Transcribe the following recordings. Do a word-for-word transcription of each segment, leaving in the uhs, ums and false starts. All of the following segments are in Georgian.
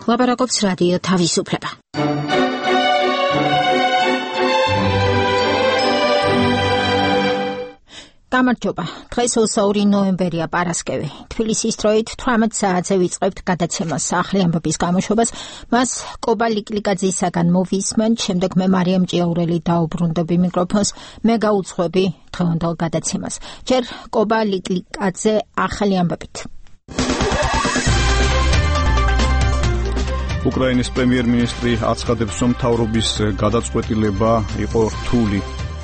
ლაპარაკობს რადიო თავისუფლება. გამარჯობა. დღეს ოცდაორი ნოემბერია პარასკევი. თბილისის დროით თვრამეტ საათზე ვიწყებთ გადაცემას ახალი ამბების გამოშვებას. მას კობა ლიკლიკაძისაგან მოვისმენთ, შემდეგ მე მარიამ ჭიაურელი დაუბრუნდები მიკროფონს, მე გაუძღვები დღევანდელ გადაცემას. ჯერ კობა ლიკლიკაძე ახალი ამბებით. უკრაინის პრემიერ-მინისტრი აცხადებს, რომ მთავრობის გადაწყვეტილება იყო რთული.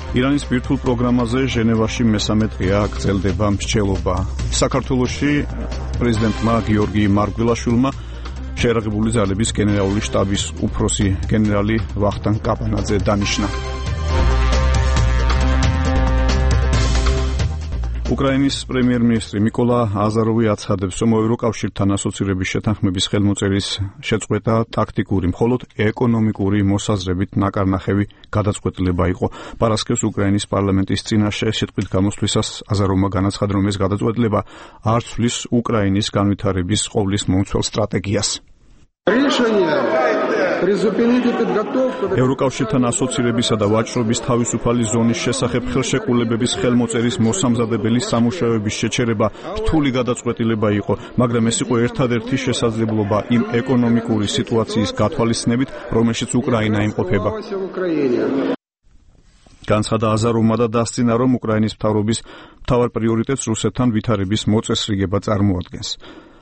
ირანის ბირთვულ პროგრამაზე ჟენევაში მესამე დღეა გრძელდება მსჯელობა. საქართველოში პრეზიდენტმა გიორგი მარგველაშვილმა შეიარაღებული ძალების გენერალური შტაბის უფროსი გენერალი ვახტანგ კაპანაძე დანიშნა. უკრაინის პრემიერ-მინისტრი მიკოლა აზაროვი აცხადებს, რომ ევროკავშირთან ასოცირების შეთანხმების ხელმოწერის შეწყვეტა ტაქტიკური, მხოლოდ ეკონომიკური მოსაზრებით ნაკარნახევი გადაწყვეტილება იყო. პარასკევს უკრაინის პარლამენტის წინაშე სიტყვით გამოსვლისას აზაროვმა განაცხადა, რომ ეს გადაწყვეტილება არ ცვლის უკრაინის განვითარების ყოვლის მომცველ სტრატეგიას. ევროკავშირთან ასოცირებისა და ვაჭრობის თავისუფალი ზონის შესახებ ხელშეკრულებების ხელმოწერის მოსამზადებელი სამუშაოების შეჩერება რთული გადაწყვეტილება იყო, მაგრამ ეს იყო ერთადერთი შესაძლებლობა იმ ეკონომიკური სიტუაციის გათვალისწინებით, რომელშიც უკრაინა იმყოფება. განცხადა აზაროვმა და დასძინა, რომ უკრაინის მთავრობის მთავარ პრიორიტეტს რუსეთთან ვითარების მოწესრიგება წარმოადგენს.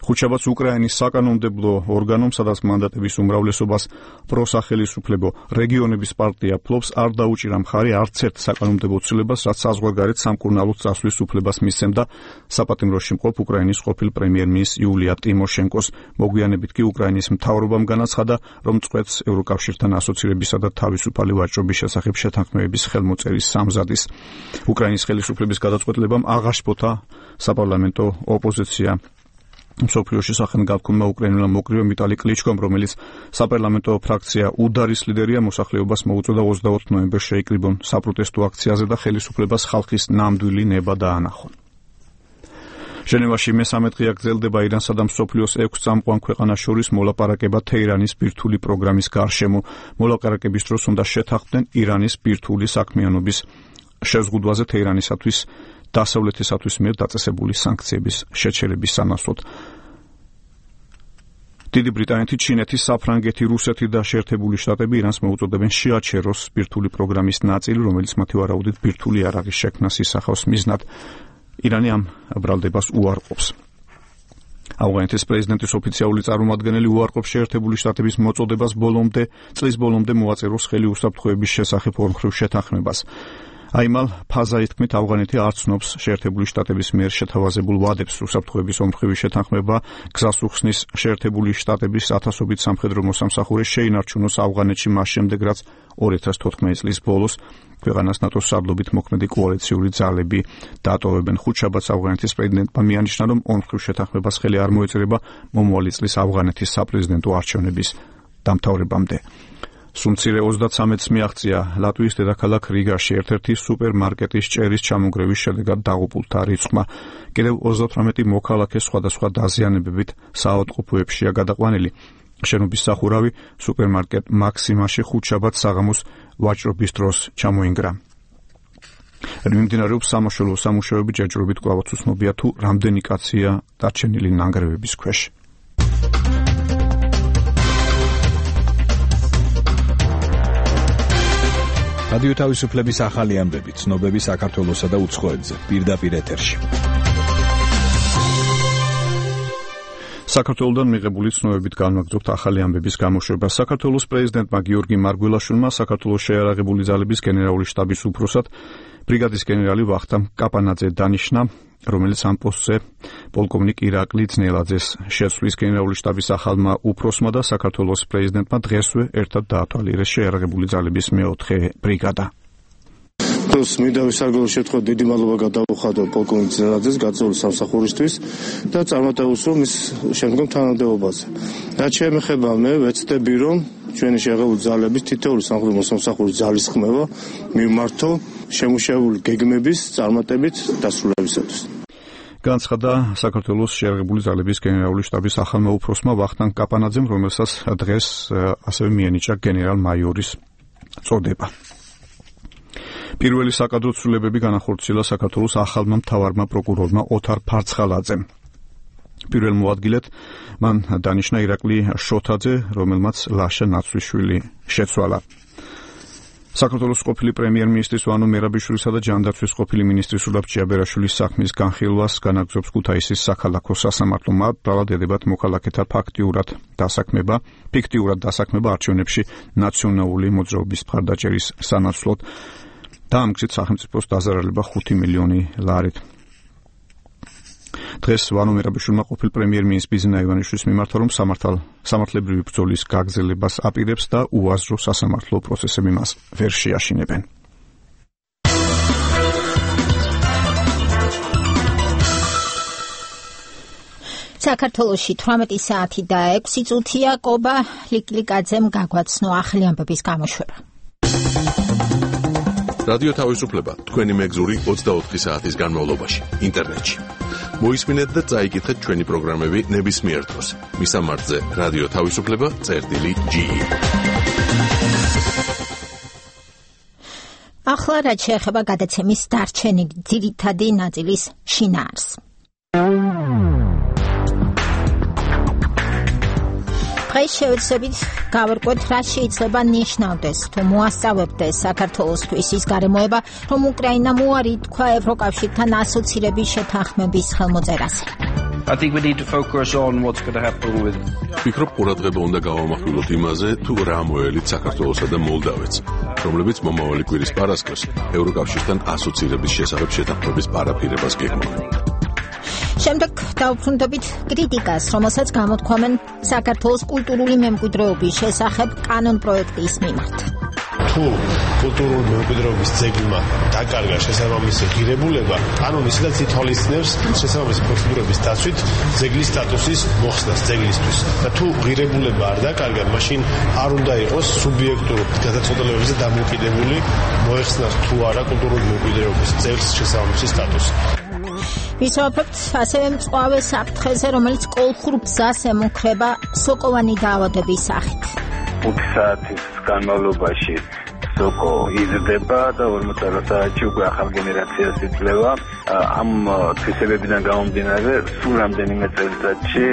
ხუთშაბათს უკრაინის საკანონმდებლო ორგანომ, სადაც მანდატების უმრავლესობას პროსახელისუფლებო რეგიონების პარტია ფლობს, არ დაუჭირა მხარი არც ერთ საკანონმდებლო ცვლილებას, რაც საზღვარგარეთ სამკურნალოდ წასვლის უფლებას მისცემდა საპატიმროში მყოფ უკრაინის ყოფილ პრემიერ-მინისტრ იულია ტიმოშენკოს. მოგვიანებით კი უკრაინის მთავრობამ განაცხადა, რომ წყვეტს ევროკავშირთან ასოცირებისა და თავისუფალი ვაჭრობის შესახებ შეთანხმებების ხელმოწერის სამზადის. უკრაინის ხელისუფლების გადაწყვეტილებამ აღარ შეფოთა საპარლამენტო ოპოზიცია. მსოფლიოში სახელგანთქმულმა უკრაინულმა მოკრივემ ვიტალი კლიჩკომ, რომელიც საპარლამენტო ფრაქცია უდარის ლიდერია, მოსახლეობას მოუწოდა ოცდაოთხ ნოემბერს შეიკრიბონ საპროტესტო აქციაზე და ხელისუფლებას ხალხის ნამდვილი ნება დაანახონ. ჟენევაში მესამე დღეა გრძელდება ირანსა და მსოფლიოს ექვს წამყვან ქვეყანას შორის მოლაპარაკება თეირანის ბირთვული პროგრამის გარშემო. მოლაპარაკების დროს უნდა შეთანხმდნენ ირანის ბირთვული საქმიანობის შეზღუდვაზე თეირანისათვის დასავლეთისათვის მიერ დაწესებული სანქციების შეჩერების სანაცვლოდ. დიდი ბრიტანეთი, ჩინეთი, საფრანგეთი, რუსეთი და შეერთებული შტატები ირანს მოუწოდებენ შეაჩეროს ბირთვული პროგრამის ნაწილი, რომელიც მათი ვარაუდით ბირთვული იარაღის შექმნას ისახავს მიზნად. ირანი ამ ბრალდებას უარყოფს. ავღანეთის პრეზიდენტის ოფიციალური წარმომადგენელი უარყოფს შეერთებული შტატების მოწოდებას ბოლომდე, წლის ბოლომდე მოაწეროს ხელი უსაფრთხოების შესახებ ორმხრივ შეთანხმებას. აიმალ ფაზაის თქმით, ავღანეთი არ ცნობს შეერთებული შტატების მიერ შეთავაზებულ ვადებს. უსაფრთხოების ორმხრივი შეთანხმება გზას უხსნის შეერთებული შტატების ათასობით სამხედრო მოსამსახურე შეინარჩუნოს ავღანეთში მას შემდეგ, რაც ორი ათას თოთხმეტი წლის ბოლოს ქვეყანას ნატოს სარდლობით მოქმედი კოალიციური ძალები დატოვებენ. ხუთშაბათს ავღანეთის პრეზიდენტმა მიანიშნა, რომ ორმხრივ შეთანხმებას ხელი არ მოეწერება მომავალი წლის ავღანეთის საპრეზიდენტო არჩევნების დამთავრებამდე. სულ-მცირე ოცდაცამეტს მიაღწია ლატვიის დედაქალაქ რიგაში ერთ-ერთი სუპერმარკეტის ჭერის ჩამონგრევის შედეგად დაღუპულთა რიცხვმა. კიდევ ოცდათვრამეტი მოქალაქე სხვადასხვა დაზიანებებით საავადმყოფოებშია გადაყვანილი. შენობის სახურავი სუპერმარკეტ მაქსიმაში ხუთშაბათს საღამოს ვაჭრობის დროს ჩამოინგრა. მიმდინარეობს სამაშველო სამუშაოები, ჯერჯერობით კვლავაც უცნობია თუ რამდენი კაცია დარჩენილი ნანგრევების ქვეშ. რადიო თავისუფლების ახალი ამბები, ცნობები საქართველოსა და უცხოეთზე, პირდაპირ ეთერში. საქართველოდან მიღებული ცნობებით განვაგრძობთ ახალი ამბების გამოშვებას. საქართველოს პრეზიდენტმა გიორგი მარგველაშვილმა საქართველოს შეიარაღებული ძალების გენერალური შტაბის უფროსად ბრიგადის გენერალი ვახტანგ კაპანაძე დანიშნა, რომელიც ამ პოსტზე პოლკოვნიკ ირაკლი ძნელაძეს შეცვლის. გენერალური შტაბის ახალმა უფროსმა და საქართველოს პრეზიდენტმა დღესვე ერთად დაათვალიერეს შეიარაღებული ძალების მეოთხე ბრიგადა. მინდა ვისარგებლო შეთხოთ დიდი მადლობა გადავუხადო პოლკოვნიკ ძნელაძეს გაწეული სამსახურისთვის და წარმატებულს რომ ის შემდგომ თანამდებობაზე. რაც შეეხება მე ვეცდები რომ ჩვენი შეიარაღებული ძალების თითოეული სამხედრო მოსამსახურის ძალის ხმევა მიმართო შემუშავებული გეგმების წარმატებით დასრულებისათვის. განცხადა საქართველოს შეერაღებული ძალების გენერალური შტაბის ახალმა უფროსმა ვახტანგ კაპანაძემ, რომელსაც დღეს ასევე მიენიჭა გენერალ-მაიორის წოდება. პირველი საკადრო ცვლილებები განახორციელა საქართველოს ახალმა მთავარმა პროკურორმა ოთარ ფარცხალაძემ. პირველ მოადგილედ მან დანიშნა ირაკლი შოთაძე, რომელმაც ლაშა ნაცვლიშვილი შეცვალა. საქართველოს ყოფილი პრემიერ-მინისტრის ვანო მერაბიშვილისა და ჯანდაცვის ყოფილი მინისტრის სულაბ ჭიაბერაშვილის საქმის განხილვას განაგრძობს ქუთაისის საქალაქო სასამართლო. მათ ბრალად ედებათ მოქალაქეთა ფაქტიურად დასაქმება, ფიქტიურად დასაქმება არჩევნებში ნაციონალური მოძრაობის მხარდაჭერის სანაცვლოდ. დაამტკიცეთ სახელმწიფოს დაზარალება ხუთი მილიონი ლარით. დღეს ვანო მერაბიშვილმა ყოფილ პრემიერ-მინისტრ ბიზნა ივანიშვილის მიმართა, რომ სამართლებრივი ბრძოლის გაგრძელებას აპირებს და უაზრო სასამართლო პროცესები მას ვერ შეაშინებენ. საქართველოში თვრამეტი საათი და ექვსი წუთია. კობა ლიკლიკაძემ გაგვაცნო ახლი ამბების გამოშვება. რადიო თავისუფლება თქვენი მეგზური ოცდაოთხი საათის განმავლობაში ინტერნეტში. მოისმინეთ და წაიკითხეთ ჩვენი პროგრამები ნებისმიერ დროს. მისამართზე რადიო თავისუფლება წერტილი ჯი. ახლა რაც შეეხება გადაცემის დარჩენილი ძირითადი ნაწილის შინაარს. დღეს შევეცდებით გავარკვევთ, რა შეიძლება ნიშნავდეს თუ მოასწავებდეს საქართველოსთვის ის გარემოება, რომ უკრაინამ უარი თქვა ევროკავშირთან ასოცირების შეთანხმების ხელმოწერაზე. I think we need to focus on what's going to happen with. ვფიქრობ, ყურადღება უნდა გავამახვილოთ იმაზე, თუ რა მოელით საქართველოსა და მოლდავეთს, რომლებიც მომავალი კვირის პარასკევს ევროკავშირთან ასოცირების შესახებ შეთანხმების პარაფირებას გეგმავენ. შემდეგ დავუბრუნდებით კრიტიკას, რომელსაც გამოთქვამენ საქართველოს კულტურული მემკვიდრეობის შესახებ კანონ პროექტის მიმართ. თუ კულტურული მემკვიდრეობის ძეგლმა დაკარგა შესაბამისი ღირებულება, კანონი ისედაც ითვალისწინებს შესაბამისი პროცედურების დაცვით ძეგლის სტატუსის მოხსნას ძეგლისთვის. და თუ ღირებულება არ დაკარგა, მაშინ არ უნდა იყოს სუბიექტურ გადაწყვეტილებებზე დამოკიდებული მოეხსნას თუ არა კულტურული მემკვიდრეობის ძეგლს შესაბამისი სტატუსი. ვისაუბრებთ ასევე მწვავე საფრთხეზე, რომელიც კოლხურ გზას ემუქრება სოკოვანი დაავადების სახით. ხუთი საათის განმავლობაში სოკო იზრდება და ორმოცდაოთხ საათში უკვე ახალ გენერაციას იძლევა. ამ თვისებებიდან გამომდინარე, სულ რამდენიმე წელიწადში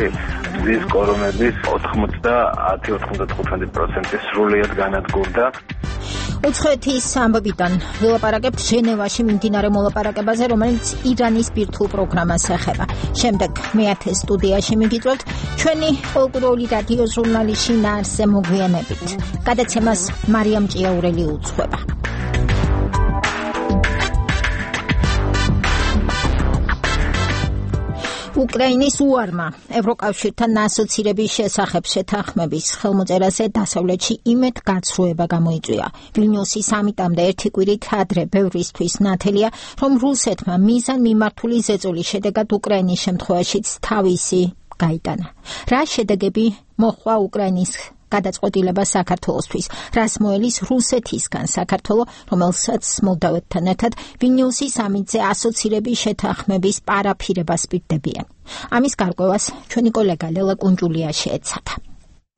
მზის კორომების ოთხმოცდაათი ოცდათხუთმეტი პროცენტი სრულიად განადგურდა. უცხოეთის ამბებიდან ვილაპარაკებთ ჟენევაში მიმდინარე მოლაპარაკებაზე, რომელიც ირანის ბირთვულ პროგრამას ეხება. შემდეგ მეათე სტუდიაში მიგიწევთ ჩვენი პოლკურული რადიო ჟურნალის შინაარსზე მოგვიანებით. გადაცემას მარიამ ჭიაურელი უძღვება. უკრაინის უარმა ევროკავშირთან ასოცირების შესახებ შეთანხმების ხელმოწერაზე დასავლეთში იმედ გაცრუება გამოიწვია. ვილნიუსის სამიტამდე ერთი კვირით ადრე ბევრისთვის ნათელია, რომ რუსეთმა მიზან მიმართული ზეწოლის შედეგად უკრაინის შემთხვევაშიც თავისი გაიტანა. რა შედეგები მოჰყვა უკრაინის გადაწყვეტილება საქართველოსთვის, რას მოელის რუსეთისგან საქართველო, რომელსაც მოლდავეთთან ერთად ვილნიუსის სამიტზე ასოცირების შეთანხმების პარაფირებას პირდებიან. ამის გარკვევას ჩვენი კოლეგა ლელა კუნჯულია შეეცადა.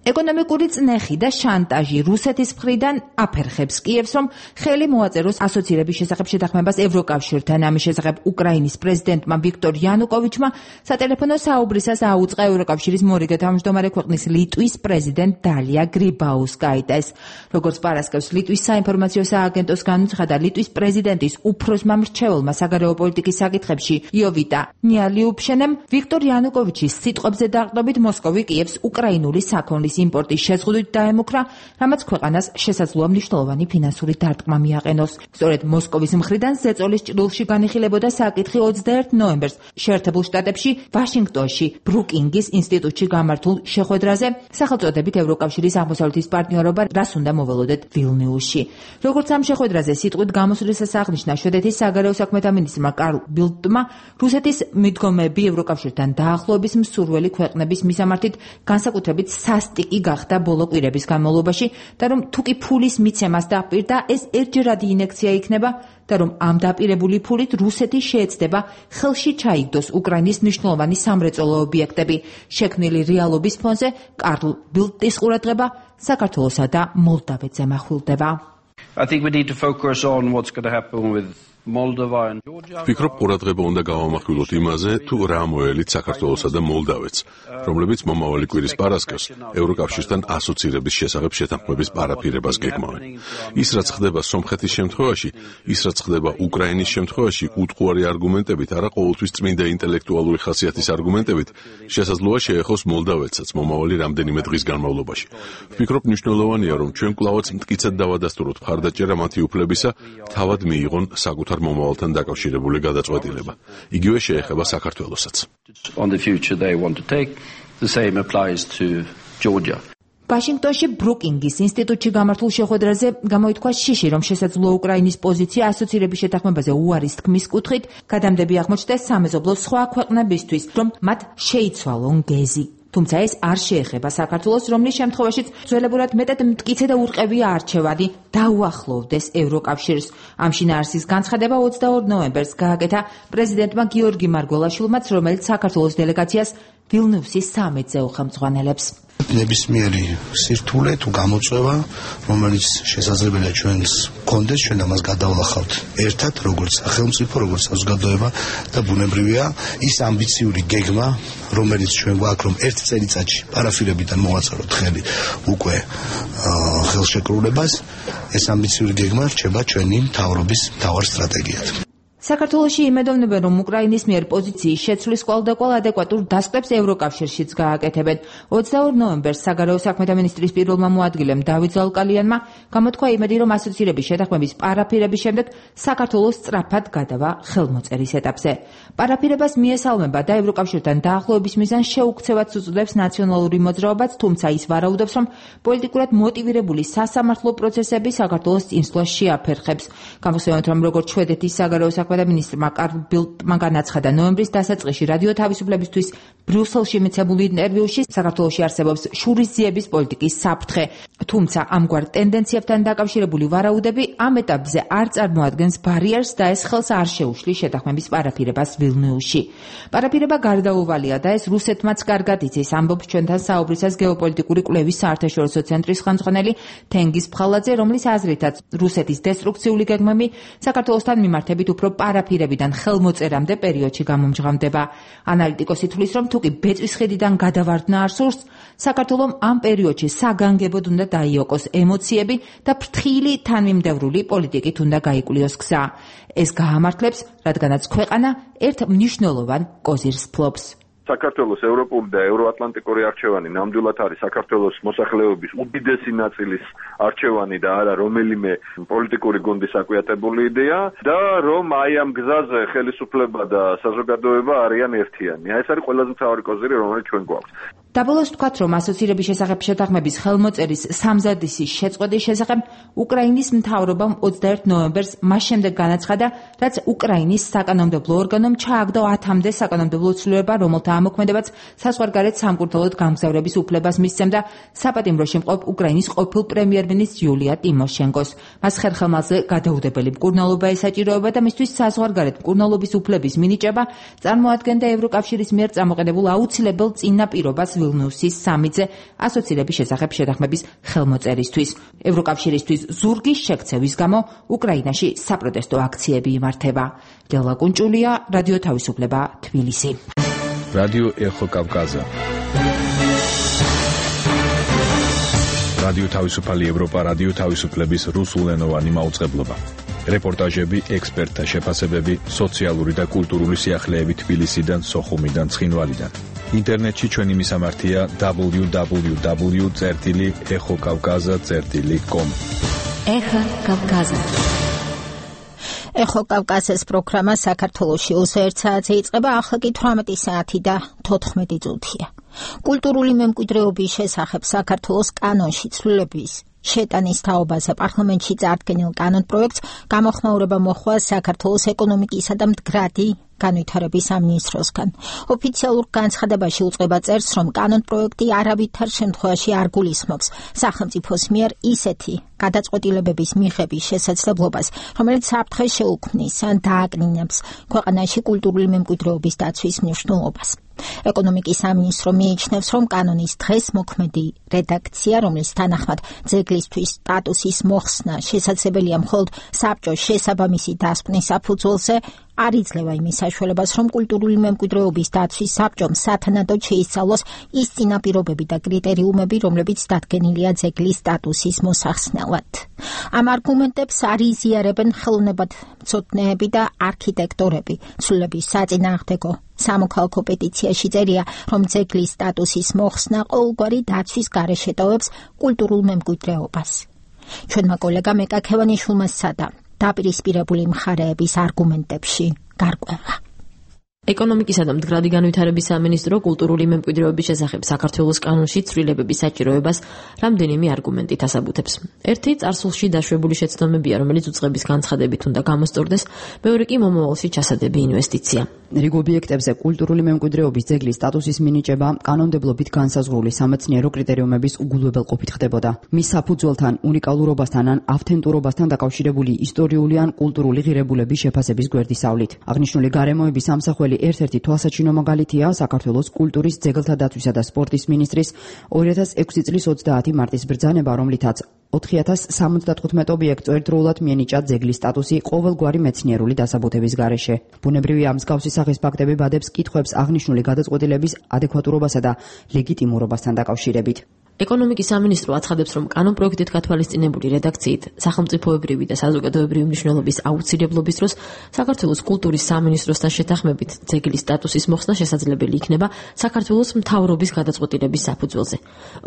ეკონომიკური წნეხი და შანტაჟი რუსეთის მხრიდან აფერხებს კიევს, რომ ხელი მოაწეროს ასოცირების შესახებ შეთანხმებას ევროკავშირთან. ამის შესახებ უკრაინის პრეზიდენტმა ვიქტორ იანუკოვიჩმა სატელეფონო საუბრისას აუწყა ევროკავშირის მორიგე თავმჯდომარე ქვეყნის ლიტვის პრეზიდენტ დალია გრიბაუსკაიტეს. როგორც პარასკევს ლიტვის საინფორმაციო სააგენტოს განუცხადა, ლიტვის პრეზიდენტის უფროსმა მრჩეველმა საგარეო პოლიტიკის საკითხებში იოვიტა ნიალიუფშენემ ვიქტორ იანუკოვიჩის სიტყვებზე დაყრდნობით მოსკოვი კიევს უკრაინული საქონლის იმპორტის შეზღუდვით დაემუქრა, რამაც ქვეყანას შესაძლოა მნიშვნელოვანი ფინანსური დარტყმა მიაყენოს. სწორედ მოსკოვის მხრიდან ზეწოლის ჭრილში განიხილებოდა საკითხი ოცდაერთი ნოემბერს შეერთებულ შტატებში ვაშინგტონში ბრუკინგის ინსტიტუტში გამართულ შეხვედრაზე სახელწოდებით ევროკავშირის აღმოსავლეთის პარტნიორობა რას უნდა მოველოდეთ ვილნიუსში. როგორც ამ შეხვედრაზე სიტყვით გამოსვლისას აღნიშნა შვედეთის საგარეო საქმეთა მინისტრმა კარლ ბილდტმა, რუსეთის მიდგომები ევროკავშირთან დაახლოების მსურველი ქვეყნების მისამართით განსაკუთრებით სასტიკ პიკი გახდა ბოლო კვირების განმავლობაში და რომ თუ კი ფულის მიცემას დაპირდა, ეს ერთჯერადი ინექცია იქნება და რომ ამ დაპირებული ფულით რუსეთი შეეცდება ხელში ჩაიგდოს უკრაინის მნიშვნელოვანი სამრეწველო ობიექტები. შექმნილი რეალობის ფონზე კარლ ბილდტის ყურადღება საქართველოსა და მოლდავეთზე მახვილდება. I think we need to focus on what's going to happen with Moldova and Georgia. ვფიქრობ, ყურადღება უნდა გავამახვილოთ იმაზე, თუ რა მოელით საქართველოსა და მოლდავეთს, რომლებიც მომავალი კვირის პარასკევს ევროკავშირთან ასოცირების შესახებ შეთანხმების პარაფირებას გეგმავენ. ის რაც ხდება სომხეთის შემთხვევაში, ის რაც ხდება უკრაინის შემთხვევაში, უტყუარი არგუმენტებით, არა ყოველთვის წმინდა ინტელექტუალური ხასიათის არგუმენტებით, შესაძლოა შეეხოს მოლდავეთსაც მომავალი რამდენიმე დღის განმავლობაში. ვფიქრობ, მნიშვნელოვანია, რომ ჩვენ კვლავაც მტკიცედ დავადასტუროთ მხარდაჭერა მათი უფლებისა, თავად მიიღონ საკუთარ მომავალთან დაკავშირებული გადაწყვეტილება. იგივე შეეხება საქართველოსაც. On the future they want to take, the same applies to Georgia. ვაშინგტონში ბრუკინგის ინსტიტუტში გამართულ შეხვედრაზე გამოითქვა შიში, რომ შესაძლოა უკრაინის პოზიცია ასოცირების შეთანხმებაზე უარის თქმის კუთხით გადამდები აღმოჩნდეს სამეზობლო სხვა ქვეყნებისთვის, რომ მათ შეიცვალონ გეზი. თუმცა ეს არ შეეხება საქართველოს, რომლის შემთხვევაშიც ძველებურად მეტად მტკიცე და ურყევია არჩევანი დაუახლოვდეს ევროკავშირს. ამ შინაარსის განცხადება ოცდაორ ნოემბერს გააკეთა პრეზიდენტმა გიორგი მარგველაშვილმაც, რომელიც საქართველოს დელეგაციას ვილნიუსის სამიტზე უხელმძღვანელებს. ნებისმიერი სირთულე თუ გამოწვევა, რომელიც შესაძლებელია ჩვენს გქონდეს, ჩვენ ამას გადავლახავთ ერთად, როგორც სახელმწიფო, როგორც საზოგადოება და ბუნებრივია ის ამბიციური გეგმა, რომელიც ჩვენ გვაქვს, რომ ერთ წელიწადში პარაფირებიდან მოვაწაროთ ხელი უკვე ხელშეკრულებას, ეს ამბიციური გეგმა რჩება ჩვენი მთავრობის მთავარ სტრატეგიად. საქართველოში იმედოვნებენ, რომ უკრაინის მიერ პოზიციის შეცვლის კვალდაკვალ ადეკვატურ დასკვებს ევროკავშირშიც გააკეთებენ. ოცდაორ ნოემბერს საგარეო საქმეთა მინისტრის პირველმა მოადგილემ დავით ზალკალიანმა გამოთქვა იმედი, რომ ასოცირების შეთანხმების პარაფირების შემდეგ საქართველოს სწრაფად გადავა ხელმოწერის ეტაპზე. პარაფირებას მიესალმება და ევროკავშირთან დაახლოების მიზანს შეუქცევად უწოდებს ნაციონალური მოძრაობაც, თუმცა ის ვარაუდობს, რომ პოლიტიკურად მოტივირებული სასამართლო პროცესები საქართველოს წინსვლას შეაფერხებს. გამოსცემთ, რომ როგორც შვედეთის საგარეო საქმეთა მინისტრმა კარლ ბილდტმა განაცხადა ნოემბრის დასაწყისში რადიო თავისუფლებისთვის ბრიუსელში მიცემულ ინტერვიუში, საქართველოში არსებობს შურისძიების პოლიტიკის საფრთხე. თუმცა ამგვარ ტენდენციებთან დაკავშირებული ვარაუდები ამ ეტაპზე არ წარმოადგენს ბარიერს და ეს ხელს არ შეუშლის შეთანხმების პარაფირებას ვილნიუსში. პარაფირება გარდაუვალია და ეს რუსეთმაც კარგად იცის, ამბობს ჩვენთან საუბრისას გეოპოლიტიკური კვლევის საერთაშორისო ცენტრის ხელმძღვანელი თენგიზ ფხალაძე, რომლის აზრითაც რუსეთის დესტრუქციული გეგმები საქართველოსთან მიმართებით უფრო პარაფირებიდან ხელმოწერამდე პერიოდში გამომჟღავდება. ანალიტიკოსი თვლის, რომ თუკი ბეწვის ხედიდან გადავარდნა არ სურს, საქართველომ ამ პერიოდში საგანგებოდ უნდა დაიოკოს ემოციები და ფრთხილი თანმიმდევრული პოლიტიკით უნდა გაიკვლიოს გზა. ეს გაამართლებს, რადგანაც ქვეყანა ერთ მნიშვნელოვან კოზირს ფლობს. საქართველოს ევროპული და ევროატლანტიკური არჩევანი ნამდვილად არის საქართველოს მოსახლეობის უდიდესი ნაწილის არჩევანი და არა რომელიმე პოლიტიკური გუნდის აკუიატებული იდეა და რომ აი ამ გზაზე ხელისუფლება და საზოგადოება არიან ერთიანი. აი ეს არის ყველაზე მთავარი კოზირი, რომელიც ჩვენ გვაქვს. დაბოლოს ვთქვათ, რომ ასოცირების შესახებ შეთანხმების ხელმოწერის სამზადისის შეწყვეტის შესახებ უკრაინის მთავრობამ ოცდაერთ ნოემბერს მას შემდეგ განაცხადა, რაც უკრაინის საკანონმდებლო ორგანომ ჩააგდო ათამდე საკანონმდებლო ცვლილება, რომელთა ამოქმედებაც საზღვარგარეთ სამკურნალოდ გამგზავრების უფლებას მისცემდა საპატიმროში მყოფ უკრაინის ყოფილ პრემიერ-მინისტრ იულია ტიმოშენკოს. მას ხერხემალზე გადაუდებელი მკურნალობა ესაჭიროება და მისთვის საზღვარგარეთ მკურნალობის უფლების მინიჭება წარმოადგენდა ევროკავშირის მიერ წამოყენებულ აუცილებელ წინაპირობას ვილნიუსის სამიტზე ასოცირების შესახებ შეთანხმების ხელმოწერისთვის. ევროკავშირისთვის ზურგის შექცევის გამო უკრაინაში საპროტესტო აქციები იმართება. დელა კუნჭულია, რადიო თავისუფლება, თბილისი. რადიო ეხო კავკაზა. რადიო თავისუფალი ევროპა, რადიო თავისუფლების რუსულენოვანი მაუწყებლობა. რეპორტაჟები, ექსპერტთა შეფასებები, სოციალური და კულტურული სიახლეები თბილისიდან, სოხუმიდან, ცხინვალიდან. ინტერნეტში ჩვენი მისამართია დაბლიუ დაბლიუ დაბლიუ წერტილი ეხო კავკაზა წერტილი კომ. ეხო კავკაზა. ეხო კავკაზის პროგრამა საქართველოში ოცდაერთ საათზე იწყება, ახლა კი თვრამეტი საათი და თოთხმეტი წუთია. კულტურული მემკვიდრეობის შესახებ საქართველოს კანონში ცვლილების შეტანის თაობაზე პარლამენტში წარდგენილ კანონპროექტს გამოხმაურება მოხდა საქართველოს ეკონომიკისა და მდგრადი განვითარების სამინისტროსგან. ოფიციალურ განცხადებაში უწყება წერს, რომ კანონპროექტი არავითარ შემთხვევაში არ გულისხმობს სახელმწიფოს მიერ ისეთი გადაწყვეტილებების მიღების შესაძლებლობას, რომელიც საფრთხეს შეუქმნის ან დააკნინებს ქვეყანაში კულტურული მემკვიდრეობის დაცვის მნიშვნელობას. ეკონომიკის სამინისტრო მიიჩნევს, რომ კანონის დღეს მოქმედი რედაქცია, რომლის თანახმად ძეგლისთვის სტატუსის მოხსნა შესაძლებელია მხოლოდ საბჭოს შესაბამისი დასკვნის საფუძველზე, არ იძლევა იმის საშუალებას, რომ კულტურული მემკვიდრეობის დაცვის საბჭომ სათანადოდ შეისწავლოს ის წინაპირობები და კრიტერიუმები, რომლებიც დადგენილია ძეგლის სტატუსის მოსახსნელად. ამ არგუმენტებს არ იზიარებენ ხელოვნებათმცოდნეები და არქიტექტორები. ცვლილების საწინააღმდეგო სამოქალაქო პეტიციაში წერია, რომ ძეგლის სტატუსის მოხსნა ყოველგვარი დაცვის გარეშე ტოვებს კულტურულ მემკვიდრეობას. ჩვენმა კოლეგამ ეკაქევანიშვილმა სცადა დაპირისპირებული მხარეების არგუმენტებში გარკვევა. ეკონომიკისა და მდგრადი განვითარების სამინისტრო კულტურული მემკვიდრეობის შესახებ საქართველოს კანონში ცვლილებების საჭიროებას რამდენიმე არგუმენტით ასაბუთებს. ერთი წარსულში დაშვებული შეცდომებია, რომელიც უწყების განცხადებით უნდა გამოსწორდეს, მეორე კი მომავალში ჩასადები ინვესტიცია. რიგ ობიექტებზე კულტურული მემკვიდრეობის ძეგლის სტატუსის მინიჭება კანონმდებლობით განსაზღვრული სამეცნიერო კრიტერიუმების უგულებელყოფით ხდებოდა. მის საფუძველთან, უნიკალურობასთან ან ავთენტურობასთან დაკავშირებული ისტორიული ან კულტურული ღირებულების შეფასების გვერდისავლით. აღნიშნული გარემოების სამსახველი ერთ-ერთი თვალსაჩინო მაგალითია საქართველოს კულტურის, ძეგლთა დაცვისა და სპორტის მინისტრის ორი ათას ექვსი წლის ოცდაათი მარტის ბრძანება, რომლითაც ოთხი ათას სამოცდათხუთმეტ ობიექტს ერთდროულად მიენიჭა ძეგლის სტატუსი ყოველგვარი მეცნიერული დასაბუთების გარეშე. ბუნებრივია, მსგავსი სახის ფაქტები ბადებს კითხვებს აღნიშნული გადაწყვეტილების ადეკვატურობასა და ლეგიტიმურობასთან დაკავშირებით. ეკონომიკის სამინისტრო აცხადებს, რომ კანონპროექტით გათვალისწინებული რედაქციით სახელმწიფოებრივი და საზოგადოებრივი მნიშვნელობის აუცილებლობის დროს საქართველოს კულტურის სამინისტროსთან შეთანხმებით ძეგლის სტატუსის მოხსნა შესაძლებელი იქნება საქართველოს მთავრობის გადაწყვეტილების საფუძველზე.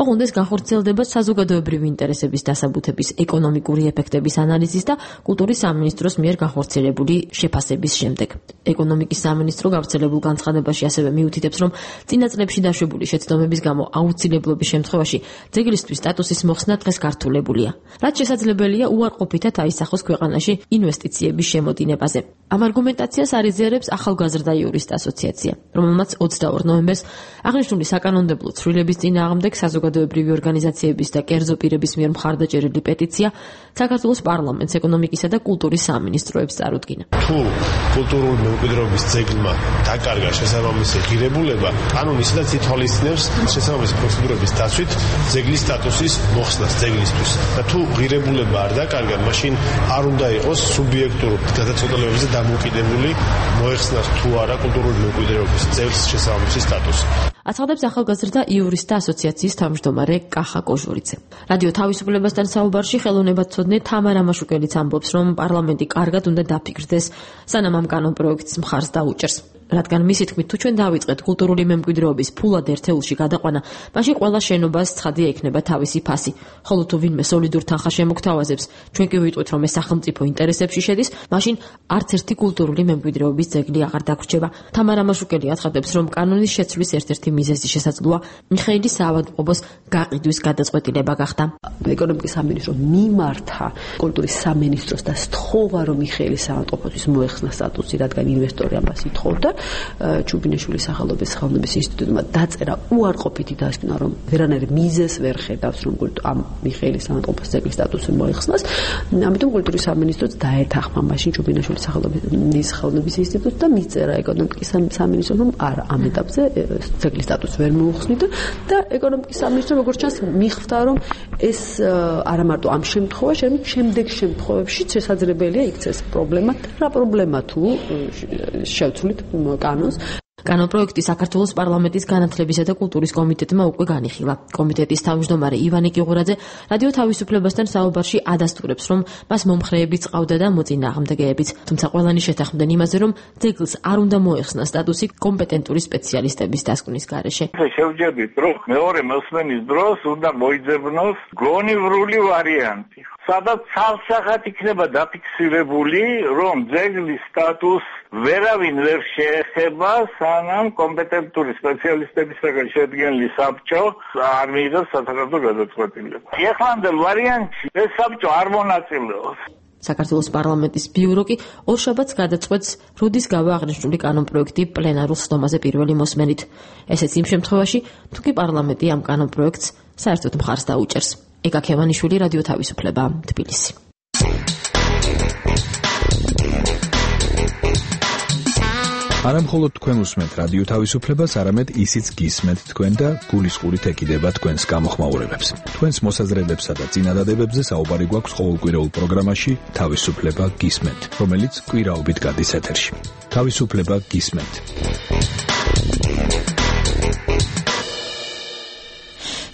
ოღონდ ეს განხორციელდება საზოგადოებრივი ინტერესების დასაბუთების ეკონომიკური ეფექტების ანალიზის და კულტურის სამინისტროს მიერ განხორციელებული შეფასების შემდეგ. ეკონომიკის სამინისტრო გავრცელებულ განცხადებაში ასევე მიუთითებს, რომ წინა წლებში დაშვებული შეცდომების გამო აუცილებლობის შემთხვევაში ძეგლისთვის სტატუსის მოხსნა დღეს გართულებულია. რაც შესაძლებელია უარყოფითად აისახოს ქვეყანაში ინვესტიციების შემოდინებაზე. ამ არგუმენტაციას არ იზიარებს ახალგაზრდა იურისტ ასოციაცია, რომელმაც ოცდაორ ნოემბერს აღნიშნული საკანონმდებლო ცვლილების წინააღმდეგ საზოგადოებრივი ორგანიზაციების და კერძო პირების მიერ მხარდაჭერილი პეტიცია საქართველოს პარლამენტს, ეკონომიკისა და კულტურის სამინისტროებს წარუდგინა. თუ კულტურული მემკვიდრეობის ძეგლმა დაკარგა შესაბამისი ღირებულება, კანონი ისედაც ითვალისწინებს შესაბამისი პროცედურების დაცვით ძეგლის სტატუსის მოხსნას ძეგლისთვის. და თუ ღირებულება არ დაკარგა, მაშინ არ უნდა იყოს სუბიექტურ გადაწყვეტილებებზე დამოკიდებული მოეხსნას თუ არა კულტურული მემკვიდრეობის ძეგლის შესაბამისი სტატუსი. აცხადებს ახალგაზრდა იურისტთა ასოციაციის თავმჯდომარე კახა კოჟურიძე. რადიო თავისუფლებასთან საუბარში ხელოვნებათმცოდნე თამარა მაშუკელიც ამბობს, რომ პარლამენტი კარგად უნდა დაფიქრდეს, სანამ ამ კანონპროექტს მხარს დაუჭერს. რადგან მისი თქმით, თუ ჩვენ დავიწყეთ კულტურული მემკვიდრეობის ფულად ერთეულში გადაყვანა, მაშინ ყველა შენობას ცხადია იქნება თავისი ფასი. ხოლო თუ ვინმე სოლიდურ თანხას შემოგთავაზებს, ჩვენ კი ვიტყვით, რომ ეს სახელმწიფო ინტერესებში შედის, მაშინ არც ერთი კულტურული მემკვიდრეობის ძეგლი აღარ დაგვრჩება. თამარა მაშუკელი აცხადებს, რომ კანონის შეცვლის ერთ-ერთი მიზეზი შესაძლოა მიხეილი საავადმყოფოს გაყიდვის გადაწყვეტილება გახდა. ეკონომიკის სამინისტრო მიმართა კულტურის სამინისტროს და სთხოვა, რომ მიხეილი საავადმყოფოს მოეხსნა სტატუსი, რადგან ინვესტორი ამას ითხოვდა. ჩუბინაშვილის სახელობის ხელოვნების ინსტიტუტმა დაწერა უარყოფითი დასკვნა, რომ ვერანაირ მიზეზს ვერ ხედავს, რომ ამ მიხეილის საავადმყოფოს ძეგლის სტატუსი მოეხსნას. ამიტომ კულტურის სამინისტროც დაეთანხმა მაშინ ჩუბინაშვილის სახელობის ხელოვნების ინსტიტუტს და მიწერა ეკონომიკის სამინისტროს, რომ არა, ამ ეტაპზე ძეგლის სტატუსს ვერ მოუხსნიდა და ეკონომიკის სამინისტრო როგორც ჩანს მიხვდა, რომ ეს არა მარტო ამ შემთხვევაში, არამედ შემდეგ შემთხვევებში შესაძლებელია იქცეს პრობლემა. რა პრობლემა თუ შევცვლით კანონს. კანონპროექტი საქართველოს პარლამენტის განათლებისა და კულტურის კომიტეტმა უკვე განიხილა. კომიტეტის თავმჯდომარე ივანე კიღურაძე რადიო თავისუფლებასთან საუბარში ადასტურებს, რომ მას მომხრეებიც ყავდა და მოწინააღმდეგეებიც, თუმცა ყველანი შეთანხმდნენ იმაზე, რომ ძეგლს არ უნდა მოეხსნა სტატუსი კომპეტენტური სპეციალისტების დასკვნის გარეშე. შევჯერდით, რომ მეორე მოსმენის დროს უნდა მოიძებნოს გონივრული ვარიანტი. სადაც ცალსახად იქნება დაფიქსირებული, რომ ძეგლის სტატუსს ვერავინ ვერ შეეხება, სანამ კომპეტენტური სპეციალისტებისგან შედგენილი საბჭო არ მიიღებს სასახელო გადაწყვეტილება. ეხლამდელ ვარიანტში ეს საბჭო არ მონაწილეობს. საქართველოს პარლამენტის ბიურო კი ორშაბათს გადაწყვეტს როდის გავა აღნიშნული კანონპროექტი პლენარულ სხდომაზე პირველი მოსმენით. ესეც იმ შემთხვევაში, თუ კი პარლამენტი ამ კანონპროექტს საერთოდ მხარს დაუჭერს. ეკა ქევანიშვილი, რადიო თავისუფლება, თბილისი. არა მხოლოდ თქვენ უსმენთ რადიო თავისუფლებას, არამედ ისიც გისმენთ თქვენ და გულისყურით ეკიდება თქვენს გამოხმაურებებს. თქვენს მოსაზრებებსა და წინადადებებზე საუბარი გვაქვს ყოველკვირეულ პროგრამაში თავისუფლება გისმენთ, რომელიც კვირაობით გადის ეთერში. თავისუფლება გისმენთ.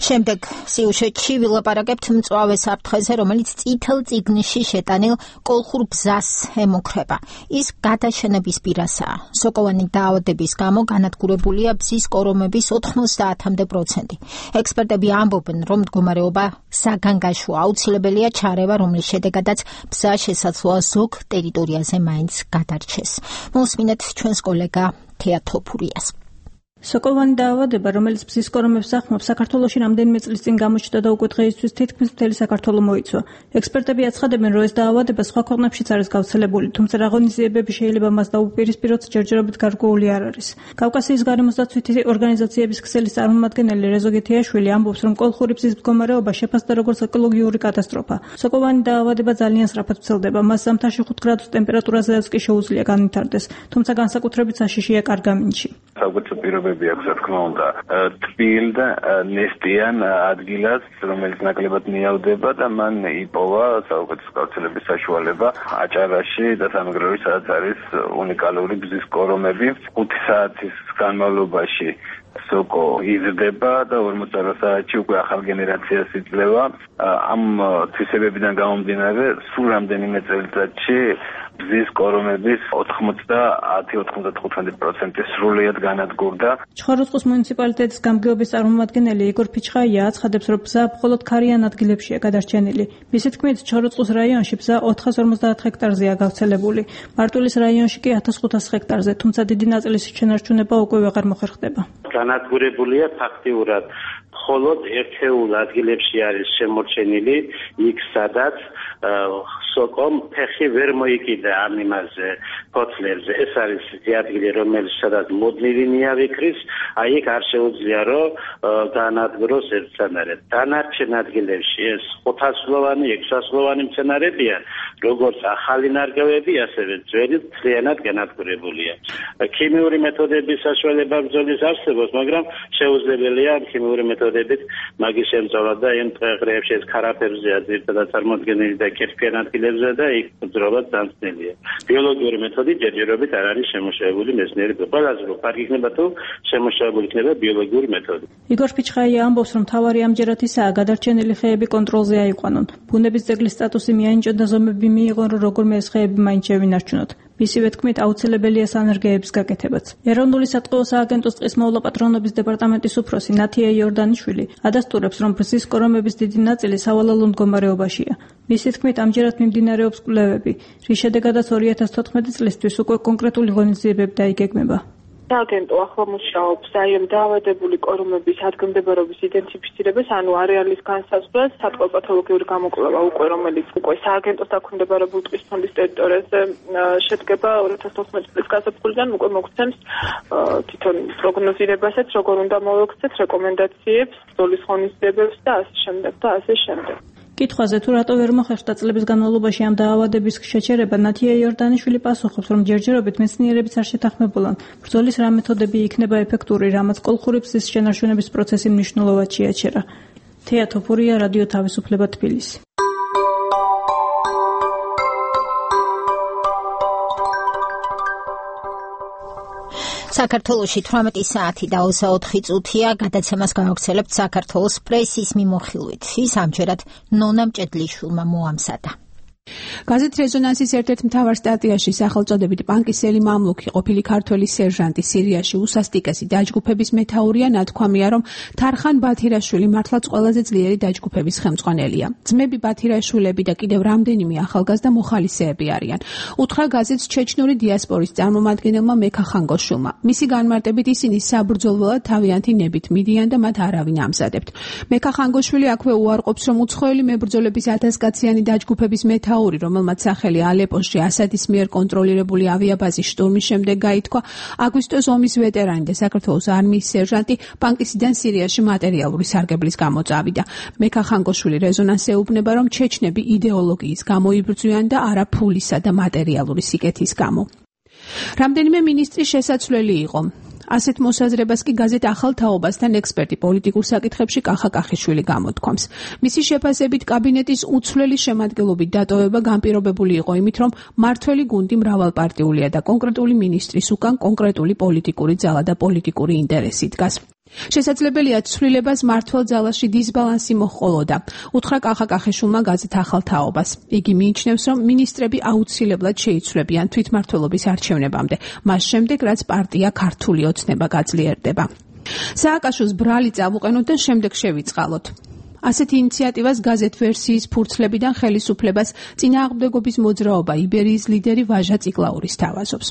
შემდეგ სიუჟეტში ვილაპარაკებთ მწვავე საფრთხეზე, რომელიც წითელ წიგნში შეტანილ კოლხურ ბზას ემუქრება. ის გადაშენების პირასაა. სოკოვანი დაავადების გამო განადგურებულია ბზის კორომების ოთხმოცდაათამდე პროცენტი. ექსპერტები ამბობენ, რომ მდგომარეობა საგანგაშო აუცილებელია ჩარევა, რომლის შედეგადაც ბზა შესაძლოა ზოგ ტერიტორიაზე მაინც გადარჩეს. მოსმინეთ ჩვენს კოლეგა თეა თოფურიას. სოკოვანი დაავადება, რომელიც ბზის კორომებს ახმობს, საქართველოში რამდენიმე წლის წინ გამოჩნდა და უკვე დღეისთვის თითქმის მთელი საქართველო მოიცვა. ექსპერტები აცხადებენ, რომ ეს დაავადება სხვა ქვეყნებშიც არის გავრცელებული, თუმცა რა ღონისძიებები შეიძლება მას დაუპირისპიროთ, ჯერჯერობით გარკვეული არ არის. კავკასიის გარემოს დაცვითი ორგანიზაციების ქსელის წარმომადგენელი რეზო გეთიაშვილი ამბობს, რომ კოლხური ბზის მდგომარეობა შეფასდა როგორც ეკოლოგიური კატასტროფა. სოკოვანი დაავადება ძალიან სწრაფად ვრცელდება, მას ზამთარში ხუთ გრადუს ტემპერატურაზეც კი შეუძლია განვითარდეს, თუმცა განსაკუთრებით საშიშია კარგამინში. პირობები აქვს, რა თქმა უნდა, თბილ და ნესტიან ადგილას, რომელიც ნაკლებად მიავდება და მან იპოვა საუკეთესო გავრცელების საშუალება აჭარაში და სამეგრელოში, სადაც არის უნიკალური ბზის კორომები. ხუთი საათის განმავლობაში სოკო იზრდება და ორმოცდაოთხ საათში უკვე ახალ გენერაციას იძლევა. ამ თვისებებიდან გამომდინარე, სულ რამდენიმე წელიწადში ბზის კორომების ოთხმოცდაათი ოცდათხუთმეტი პროცენტი სრულიად განადგურდა. ჩხოროწყუს მუნიციპალიტეტის გამგეობის წარმომადგენელი იგორ ფიჩხაია აცხადებს, რომ ბზა მხოლოდ ქარიან ადგილებშია გადარჩენილი. მისი თქმით, ჩხოროწყუს რაიონში ბზა ოთხას ორმოცდაათ ჰექტარზეა გავრცელებული. მარტვილის რაიონში კი ათას ხუთას ჰექტარზე, თუმცა დიდი ნაწილის შენარჩუნება უკვე ვეღარ მოხერხდება. განადგურებულია ფაქტიურად მხოლოდ ერთეულ ადგილებში არის შემორჩენილი, იქ სადაც სოკომ ფეხი ვერ მოიკიდა ამ იმაზე ფოთლებზე. ეს არის ადგილი, რომელიც სადაც მოდნილი ნიავი ქრის, აი იქ არ შეუძლია რომ განადგუროს ერთსანარად. დანარჩენ ადგილებში ეს ხუთასლოვანი, ექვსასლოვანი მცენარეებია, როგორც ახალი ნარგავები, ასევე ძველი მთლიანად განადგურებულია. ქიმიური მეთოდების საშუალება ბრძოლის არსებობს, მაგრამ შეუძლებელია ქიმიური მეთოდებით მაგის შემწოლა და იმ დღეებში ეს ქარაფერზეა ძირითადად წარმოდგენილი და კირქვიან ადგილებზე და იქ ბრძოლა დამცნელია. ბიოლოგიური მეთოდი ჯერჯერობით არ არის შემოშევებული მეცნიერები. ყველაზე უფრო კარგი იქნება თუ შემოშევებული იქნება ბიოლოგიური მეთოდი. იგორ ფიჩხაია ამბობს, რომ თავარი ამჯერად ისაა გადარჩენილი ხეები კონტროლზე აიყვანონ. ბუნების ძეგლის სტატუსი მიანიჭონ და ზომები მიიღონ, რომ როგორმე ეს ხეები მაინც შევინარჩუნოთ. მისივე თქმით, აუცილებელია სანერგეების გაკეთებაც. ეროვნული სატყეო სააგენტოს წყისმოვლა პატრონობის დეპარტამენტის უფროსი ნათია იორდანიშვილი ადასტურებს, რომ ბზის კორომების დიდი ნაწილი სავალალო მდგომარეობაშია. მისი თქმით, ამჯერად მიმდინარეობს კვლევები, რის შედეგადაც ორი ათას თოთხმეტი წლისთვის უკვე კონკრეტული ღონისძიებები დაიგეგმება. სააგენტო ახლა მუშაობს აი ამ დაავადებული კორომების ადგილმდებარეობის იდენტიფიცირებას, ანუ არეალის განსაზღვრას, სატყეო პათოლოგიური გამოკვლევა უკვე, რომელიც უკვე სააგენტოს დაქვემდებარებულ ტყის ფონდის ტერიტორიაზე შედგება ორი ათას თოთხმეტი წლის გაზაფხულიდან, უკვე მოგცემს თვითონ პროგნოზირებასაც, როგორ უნდა მოვექცეთ რეკომენდაციებს, ბრძოლის ღონისძიებებს და ასე შემდეგ და ასე შემდეგ. კითხვაზე თუ რატო ვერ მოხერხდა წლების განმავლობაში ამ დაავადების შეჩერება, ნათია იორდანიშვილი პასუხობს, რომ ჯერჯერობით მეცნიერებიც არ შეთანხმებულან. ბრძოლის რა მეთოდები იქნება ეფექტური, რამაც კოლხური ბზის შენარჩუნების პროცესი მნიშვნელოვნად შეაჩერა. თეა თოფურია, რადიო თავისუფლება, თბილისი. საქართველოში თვრამეტი საათი და ოცდაოთხი წუთია, გადაცემას გავაგრძელებთ საქართველოს პრესის მიმოხილვით. ის ამჯერად ნონა მჭედლიშვილმა მოამზადა. გაზეთ რეზონანსის ერთ-ერთ მთავარ სტატიაში სახელწოდებით პანკისელი მამლუქი ყოფილი ქართველი სერჟანტი სირიაში უსასტიკესი დაჯგუფების მეთაურია ნათქვამია რომ თარხან ბათირაშვილი მართლაც ყველაზე ძლიერი დაჯგუფების ხელმძღვანელია. ძმები ბათირაშვილები და კიდევ რამდენიმე ახალგაზრდა მოხალისეები არიან. უთხრა გაზეთს ჩეჩნური დიასპორის წარმომადგენელმა მექა ხანგოშულმა. მისი განმარტებით ისინი საბრძოლველად თავიანთი ნებით მიდიან და მათ არავინ ამზადებთ. მექა ხანგოშვილი აქვე უარყოფს რომ უცხოელი მებრძოლების ათასკაციანი დაჯგუფების მეთაური რომელმაც სახელი ალეპოში ასადის მიერ კონტროლირებული ავიაბაზის შტურმის შემდეგ გაითქვა, აგვისტოს ომის ვეტერანი და საქართველოს არმიის სერჟანტი პანკისიდან სირიაში მატერიალური სარგებლის გამო წავიდა. მექა ხანგოშვილი რეზონანსს ეუბნება, რომ ჩეჩნები იდეოლოგიის გამო იბრძვიან და არა ფულისა და მატერიალური სიკეთის გამო. რამდენიმე მინისტრი შესაძლებელი იყო. ასეთ მოსაზრებას კი გაზეთ ახალ თაობასთან ექსპერტი პოლიტიკურ საკითხებში კახა კახიშვილი გამოთქვამს. მისი შეფასებით კაბინეტის უცვლელი შემადგენლობით დატოვება განპირობებული იყო იმით, რომ მართველი გუნდი მრავალპარტიულია და კონკრეტული მინისტრის უკან კონკრეტული პოლიტიკური ძალა და პოლიტიკური ინტერესი დგას. შესაძლებელია ცვლილებას მართლ ძალაში დისბალანსი მოჰყოლოდა. უთხრა კახა კახიშვილმა გაზეთ ახალ თაობას. იგი მიიჩნევს, რომ მინისტრები აუცილებლად შეიცვლებიან თვითმმართველობის არჩევნებამდე, მას შემდეგ რაც პარტია ქართული ოცნება გაძლიერდება. სააკაშოს ბრალი წავუყენოთ და შემდეგ შევიწყალოთ. ასეთ ინიციატივას გაზეთ ვერსიის ფურცლებიდან ხელისუფლებას წინააღმდეგობის მოძრაობა იბერიის ლიდერი ვაჟა წიკლაური სთავაზობს.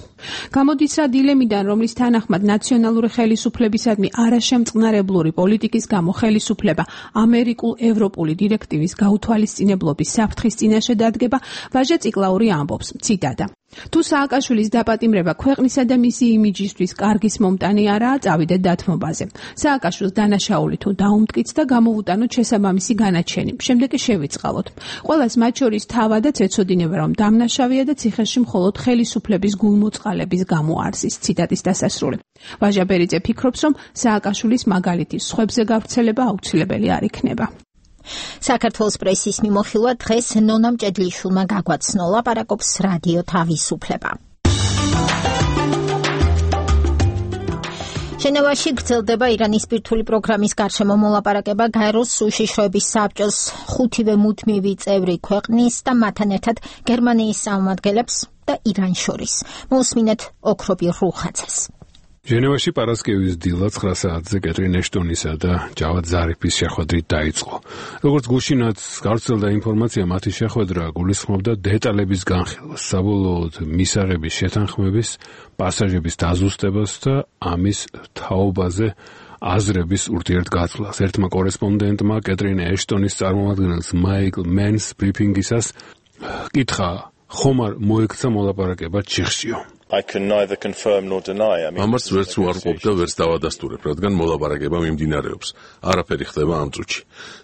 გამოდის რა დილემიდან, რომლის თანახმად ნაციონალური ხელისუფლებისადმი არაშემწყნარებლური პოლიტიკის გამო ხელისუფლება ამერიკულ-ევროპული დირექტივის გაუთვალისწინებლობის საფრთხის წინაშე დადგება, ვაჟა წიკლაური ამბობს, ციტატა: თუ სააკაშვილის დაპატიმრება ქვეყნისა და მისი იმიჯისთვის კარგის მომტანი არაა, წავიდეთ დათმობაზე. სააკაშვილს დანაშაული თუ დაუმტკიც და გამოვუტანოთ შესაბამისი განაჩენი. შემდეგ კი შევიწყალოთ. ყველას მათ შორის თავადაც ეცოდინება, რომ დამნაშავეა და ციხეში მხოლოდ ხელისუფლების გულმოწყალების გამო არსის. ციტატის დასასრული. ვაჟა ბერიძე ფიქრობს, რომ სააკაშვილის მაგალითის სხვებზე გავრცელება აუცილებელი არ იქნება. საქართველოს პრესის მიმოხილვა დღეს ნონა მჭედლიშვილმა გაგვაცნო, ლაპარაკობს რადიო თავისუფლება. ჟენევაში გრძელდება ირანის ბირთვული პროგრამის გარშემო მოლაპარაკება გაეროს უშიშროების საბჭოს ხუთივე მუდმივი წევრი ქვეყნის და მათთან ერთად გერმანიის წარმომადგენლებს და իրანს შორის. მოусმინეთ ოქრობი რუხაძეს. ჟენევაში პარასკევის დილა ცხრა საათზე კეტრინ ეშტონისა და ჯავად ზარიფის შეხვედრით დაიწყო. როგორც გუშინაც გავრცელდა ინფორმაცია, მათი შეხვედრა გულისხმობდა დეტალების განხილვას, საბოლოოდ მისაღების შეთანხმების, პასაჟების დაზუსტებას და ამის თაობაზე აზრების ურთიერთგაცვლას. ერთმა კორესპონდენტმა კეტრინ ეშტონის წარმომადგენელს მაიკლ მენს ბრიფინგისას კითხა, ხომ არ მოექცა მოლაპარაკება ჩიხშიო. I can neither confirm nor deny. I mean, ამას ვერც უარყოფ და ვერც დავადასტურებ, რადგან მოლაპარაკება მიმდინარეობს. არაფერი ხდება ამ წუთში.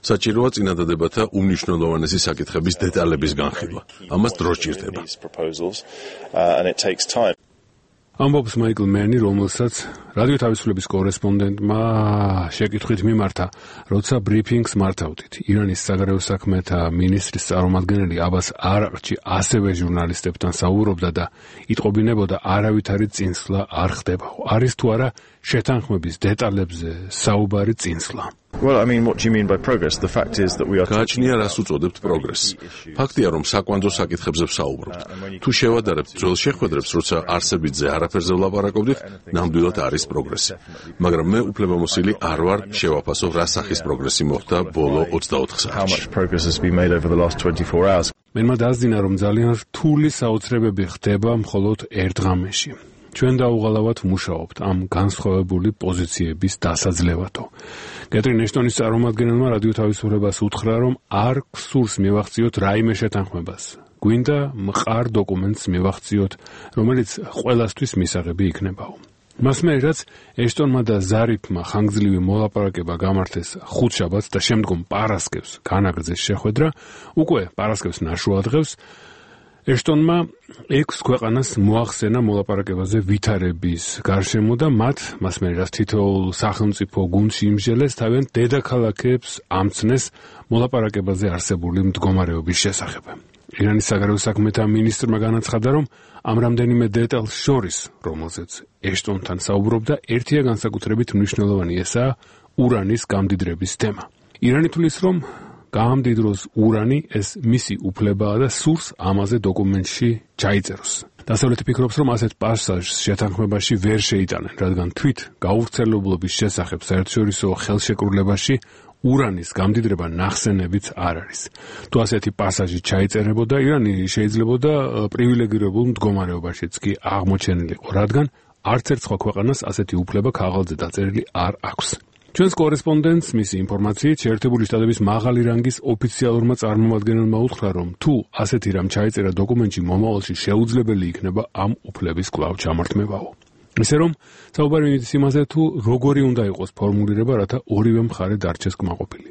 საჭიროა წინადადებათა უმნიშვნელოვანესი საკითხების დეტალების განხილვა. ამას დრო სჭირდება. ამბობს მაიკლ მენი, რომელსაც რადიო თავისუფლების კორესპონდენტმა შეკითხვით მიმართა, როცა ბრიფინგს მართავდით. ირანის საგარეო საქმეთა მინისტრის წარმომადგენელი აბას არაყჩი ასევე ჟურნალისტებთან საუბრობდა და იტყობინებოდა, არავითარი წინსვლა არ ხდებაო. არის თუ არა შეთანხმების დეტალებზე საუბარი წინსვლა. Well, I mean, what do you mean by progress? The fact is that we are გააჩნია რას უწოდებთ პროგრესს. ფაქტია, რომ საკვანძო საკითხებზე ვსაუბრობთ. თუ შევადარებთ ძველ შეხვედრებს, როცა არსებითზე არაფერზე ვლაპარაკობდით, ნამდვილად არის პროგრესი. მაგრამ მე უფლებამოსილი არ ვარ შევაფასო რა სახის პროგრესი მოხდა ბოლო ოცდაოთხ საათში. მენმა დაასძინა, რომ ძალიან რთული საოცრებები ხდება მხოლოდ ერთ ღამეში. ჩვენ დაუღალავად ვმუშაობთ ამ განსხვავებული პოზიციების დასაძლევადო. კეტრინ ეშტონის წარმომადგენელმა რადიო თავისუფლებას უთხრა, რომ არ გსურს მივახციოთ რაიმე შეთანხმებას. გვინდა მყარ დოკუმენტს მივახციოთ, რომელიც ყველასთვის მისაღები იქნებაო. მასმე რაც ეშტონმა და ზარიფმა ხანგრძლივი მოლაპარაკება გამართეს ხუთშაბათს და შემდგომ პარასკევს განაგრძეს შეხვედრა, უკვე პარასკევს ნაშუა დღეს ეშტონმა ექვს ქვეყანას მოახსენა მოლაპარაკებაზე ვითარების გარშემო და მათ, მასმე რაც თითოეულ სახელმწიფო გუნდში იმსჯელეს, თავიანთ დედაქალაქებს ამცნეს მოლაპარაკებაზე არსებული მდგომარეობის შესახებ. ირანის საგარეო საქმეთა მინისტრმა განაცხადა, რომ ამ რამდენიმე დეტალს შორის, რომელზეც ეშტონთან საუბრობდა, ერთია განსაკუთრებით მნიშვნელოვანი, ესაა ურანის გამდიდრების თემა. ირანი თვლის, რომ გაამდიდროს ურანი ეს მისი უფლებაა და სურს ამაზე დოკუმენტში ჩაიწეროს. დასავლეთი ფიქრობს, რომ ასეთ პასაჟს შეთანხმებაში ვერ შეიტანენ, რადგან თვით გაუვრცელებლობის შესახებ საერთაშორისო ხელშეკრულებაში ურანის გამდიდრება ნახსენებიც არ არის. თუ ასეთი პასაჟი ჩაიწერებოდა, ირანი შეიძლებოდა პრივილეგირებულ მდგომარეობაშიც კი აღმოჩენილიყო, რადგან არც ერთ სხვა ქვეყანას ასეთი უფლება ქაღალდზე დაწერილი არ აქვს. ჩვენს კორესპონდენტს მისი ინფორმაციით შეერთებული შტატების მაღალი რანგის ოფიციალურმა წარმომადგენელმა უთხრა, რომ თუ ასეთი რამ ჩაიწერა დოკუმენტში, მომავალში შეუძლებელი იქნება ამ უფლების კვლავ ჩამართმევაო. ისე რომ საუბარი მიდის იმაზე, თუ როგორი უნდა იყოს ფორმულირება, რათა ორივე მხარე დარჩეს კმაყოფილი.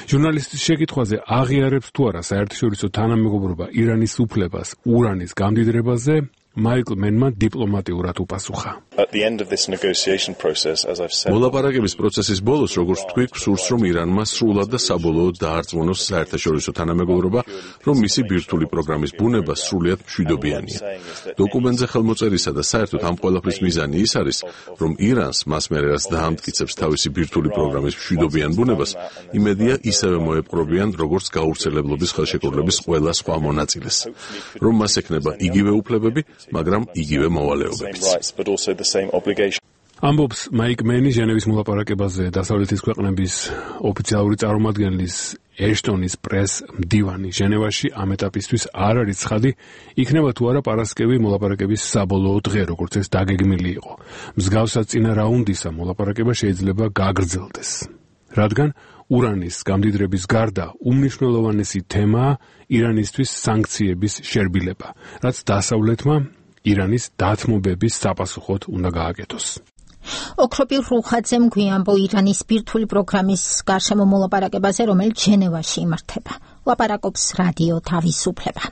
ჟურნალისტის შეკითხვაზე აღიარებს თუ არა საერთაშორისო თანამეგობრობა ირანის უფლებას ურანის გამდიდრებაზე, მაიკლ მენმა დიპლომატიურად უპასუხა. მოლაპარაკების პროცესის ბოლოს, როგორც თქვი, სურს რომ ირანმა სრულად და საბოლოოდ დაარწმუნოს საერთაშორისო თანამეგობრობა, რომ მისი ბირთვული პროგრამის ბუნება სრულიად მშვიდობიანია. დოკუმენტზე ხელმოწერისა და საერთოდ ამ ყველაფრის მიზანი ის არის, რომ ირანს მას მერე რაც დაამტკიცებს თავისი ბირთვული პროგრამის მშვიდობიან ბუნებას, იმედია ისევე მოეპყრობიან, როგორც გაურცელებლობის ხელშეკრულების ყველა სხვა მონაწილეს, რომ მას ექნება იგივე უფლებები, მაგრამ იგივე მოვალეობებიც. ამბობს მაიკ მენი ჟენევის მოლაპარაკებაზე დასავლეთის ქვეყნების ოფიციალური წარმომადგენლის ეშტონის პრეს მდივანი. ჟენევაში ამ ეტაპისთვის არ არის ცხადი, იქნება თუ არა პარასკევი მოლაპარაკების საბოლოო დღე, როგორც ეს დაგეგმილი იყო. მსგავსად წინა რაუნდისა მოლაპარაკება შეიძლება გაგრძელდეს, რადგან ურანის გამდიდრების გარდა უმნიშვნელოვანესი თემაა ირანისთვის სანქციების შერბილება, რაც დასავლეთმა ირანის დათმობების საპასუხოდ უნდა გააკეთოს. ოქროპი რუხაძემ გვიამბო ირანის ბირთვული პროგრამის გარშემო მოლაპარაკებაზე, რომელიც ჟენევაში იმართება. ლაპარაკობს რადიო თავისუფლება.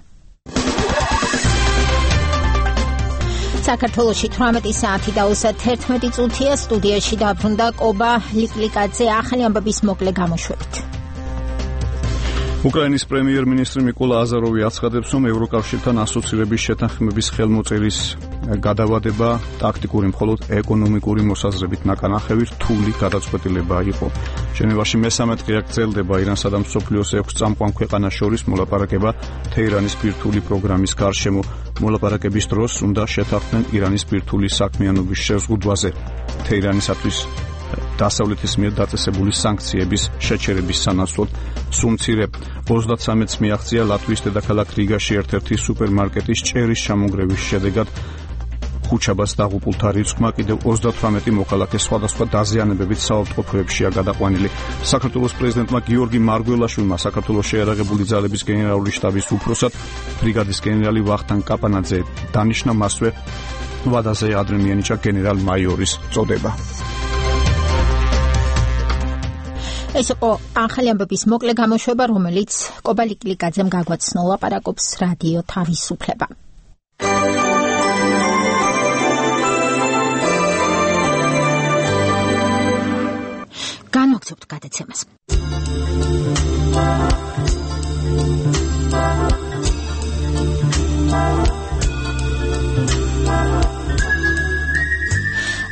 საქართველოში თვრამეტი საათი და ოცდაერთი წუთია. სტუდიაში დაბრუნდა კობა ლიკლიკაძე ახალი ამბების მოკლე გამოშვებით. უკრაინის პრემიერ-მინისტრი მიკოლა აზაროვი აცხადებს, რომ ევროკავშირთან ასოცირების შეთანხმების ხელმოწერის გადავადება ტაქტიკური მხოლოდ ეკონომიკური მოსაზრებით ნაკანახევი რთული გადაწყვეტილება იყო. ჟენევაში მესამე დღე გრძელდება ირანსა და მსოფლიოს ექვს წამყვან ქვეყანას შორის მოლაპარაკება თეირანის ბირთვული პროგრამის გარშემო. მოლაპარაკების დროს უნდა შეთანხმდნენ ირანის ბირთვული საქმიანობის შეზღუდვაზე. თეირანისათვის დასავლეთის მიერ დაწესებული სანქციების შეჩერების სანაცვლოდ სუმცირე ოცდათსამეტს მიაღწია ლატვიის დედაქალაქ რიგაში ერთ-ერთი სუპერმარკეტის ჭერის ჩამონგრევის შედეგად ხუჩაბას დაღუპულთა რიცხვმა კიდევ ოცდათვრამეტი მოქალაქე სხვადასხვა დაზიანებებით საავადმყოფოებშია გადაყვანილი. საქართველოს პრეზიდენტმა გიორგი მარგველაშვილმა საქართველოს შეიარაღებული ძალების გენერალური შტაბის უფროსად ბრიგადის გენერალი ვახტანგ კაპანაძე დანიშნა, მასვე ვადაზე ადრე მიენიჭა გენერალ-მაიორის წოდება. ეს იყო ახალი ამბების მოკლე გამოშვება, რომელიც კობა ლიკლიკაძემ გაგვაცნო. ლაპარაკობს რადიო თავისუფლება. განვაგრძობთ გადაცემას.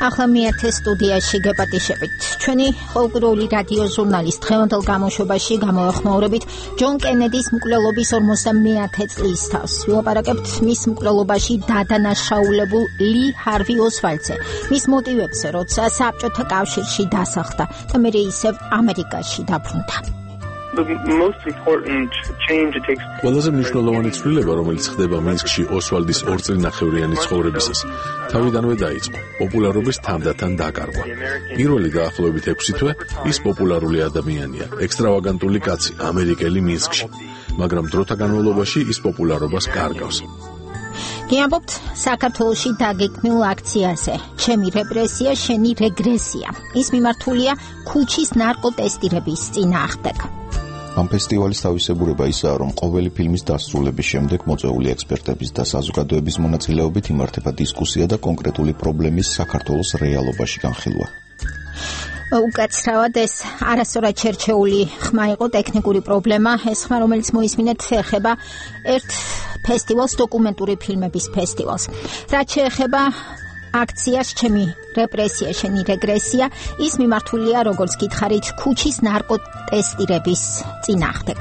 ახლა მეათე სტუდიაში გეპატიშებით. ჩვენი ყოველკვირეული რადიო ჟურნალის დღევანდელ გამოშვებაში გამოეხმაურებით ჯონ კენედის მკვლელობის ორმოცდამეათე წლის თავს. ვილაპარაკებთ მის მკვლელობაში დადანაშაულებულ ლი ჰარვი ოსვალდზე, მის მოტივებზე, როცა საბჭოთა კავშირში დასახლდა და მერე ისევ ამერიკაში დაბრუნდა. ყველაზე მნიშვნელოვანი ცვლილება, რომელიც ხდება მინსკში ოსვალდის ორწლინახევრიანი ცხოვრებისას, თავიდანვე დაიწყო პოპულარობის თანდათან დაკარგვა. პირველი დაახლოებით ექვსი თვე ის პოპულარული ადამიანია, ექსტრავაგანტული კაცი, ამერიკელი მინსკში, მაგრამ დროთა განმავლობაში ის პოპულარობას კარგავს. გიამბობთ საქართველოში დაგეგმილ აქციაზე ჩემი რეპრესია, შენი რეგრესია. ის მიმართულია ქუჩის ნარკოტესტირების წინააღმდეგ. ამ ფესტივალის თავისებურება ისაა, რომ ყოველი ფილმის დასრულების შემდეგ მოწვეული ექსპერტების და საზოგადოების მონაწილეობით იმართება დისკუსია და კონკრეტული პრობლემის საქართველოს რეალობაში განხილვა. უკაცრავად ეს არასწორად შერჩეული ხმა იყო ტექნიკური პრობლემა. ეს ხმა, რომელიც მოისმინეთ, ეხება ერთ ფესტივალს, დოკუმენტური ფილმების ფესტივალს. რაც შეეხება აქციას ჩემი რეპრესია, შენი რეგრესია ის მიმართულია როგორც გითხარით ქუჩის ნარკოტესტირების წინააღმდეგ.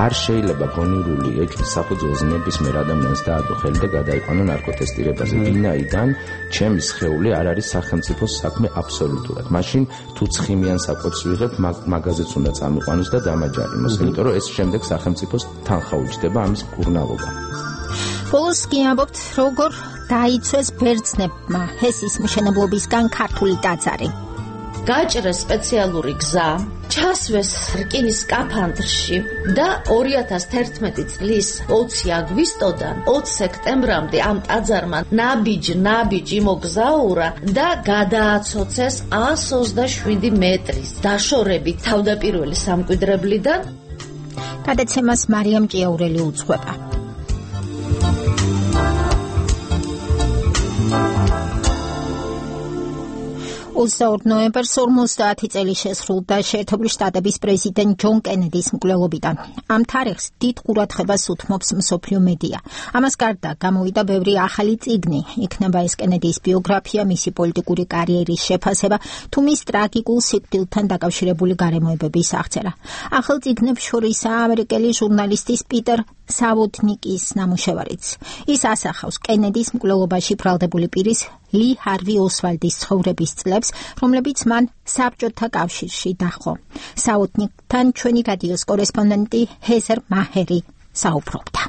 არ შეიძლება გონივრული ექიმის საფუძველზე ნებისმიერ ადამიანს დაადო ხელი და გადაიყვანო ნარკოტესტირებაზე. ვინაიდან ჩემი სხეული არ არის სახელმწიფოს საქმე აბსოლუტურად. მაშინ თუ ცხიმიან საკვებს ვიღებ, მაგაზეც უნდა წამიყვანოს და დამაჯარიმოს, იმიტომ რომ ეს შემდეგ სახელმწიფოს თანხა უჯდება ამის მკურნალობა. ბოლოს კი ამბობთ, როგორ დაიცვეს ბერძნებმა ჰესის მშენებლობისგან ქართული ტაძარი. გაჭრეს სპეციალური გზა, ჩასვეს რკინის სკაფანდრში და ორი ათას თერთმეტი წლის ოცი აგვისტოდან ოცი სექტემბრამდე ამ ტაძარმა ნაბიჯ-ნაბიჯ იმოგზაურა და გადააცოცეს ას ოცდაშვიდი მეტრის დაშორებით თავდაპირველი სამკვიდრებლიდან. გადაცემას მარიამ ჭიაურელი უძღვება. ოცდაორი ნოემბერს ორმოცდაათი წელი შესრულდა შეერთებული შტატების პრეზიდენტ ჯონ კენედის მკვლელობიდან. ამ თარიღს დიდ ყურადღებას უთმობს მსოფლიო მედია. ამას გარდა გამოვიდა ბევრი ახალი წიგნი, იქნება ეს კენედის ბიოგრაფია, მისი პოლიტიკური კარიერის შეფასება, თუ მის ტრაგიკულ სიკვდილთან დაკავშირებული გარემოებების აღწერა. ახალ წიგნებს შორისაა ამერიკელი ჟურნალისტის პიტერ სავოტნიკის ნამუშევარიც. ის ასახავს კენედის მკვლელობაში ბრალდებული პირის ლი ჰარვი ოსვალდის ცხოვრების წლებს, რომლებიც მან საბჭოთა კავშირში დაჰყო. საუთნიკთან ჩვენი რადიოს კორესპონდენტი ჰეზერ მაჰერი საუბრობდა.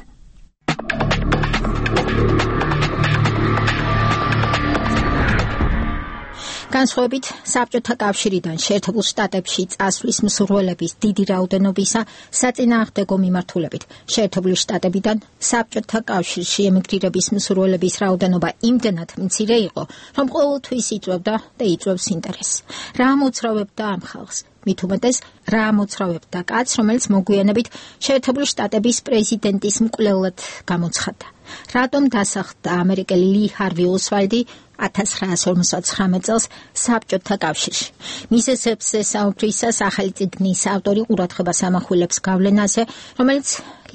განსხვავებით საბჭოთა კავშირიდან შეერთებულ შტატებში წასვლის მსურველების დიდი რაოდენობისა საწინააღმდეგო მიმართულებით შეერთებული შტატებიდან საბჭოთა კავშირში ემიგრირების მსურველების რაოდენობა იმდენად მცირე იყო, რომ ყოველთვის იწვევდა და იწვევს ინტერესს. რა მოძრავებდა ამ ხალხს? მით უმეტეს რა მოძრავებდა კაცს, რომელიც მოგვიანებით შეერთებული შტატების პრეზიდენტის მკვლელად გამოცხადდა. რატომ დასახლდა ამერიკელი ლი ჰარვი ოსვალდი ათას ცხრაას ორმოცდაცხრამეტ წელს საბჭოთა კავშირში? მიზეზებზე საუბრისას ახალი წიგნის ავტორი ყურადღებას ამახვილებს გავლენაზე, რომელიც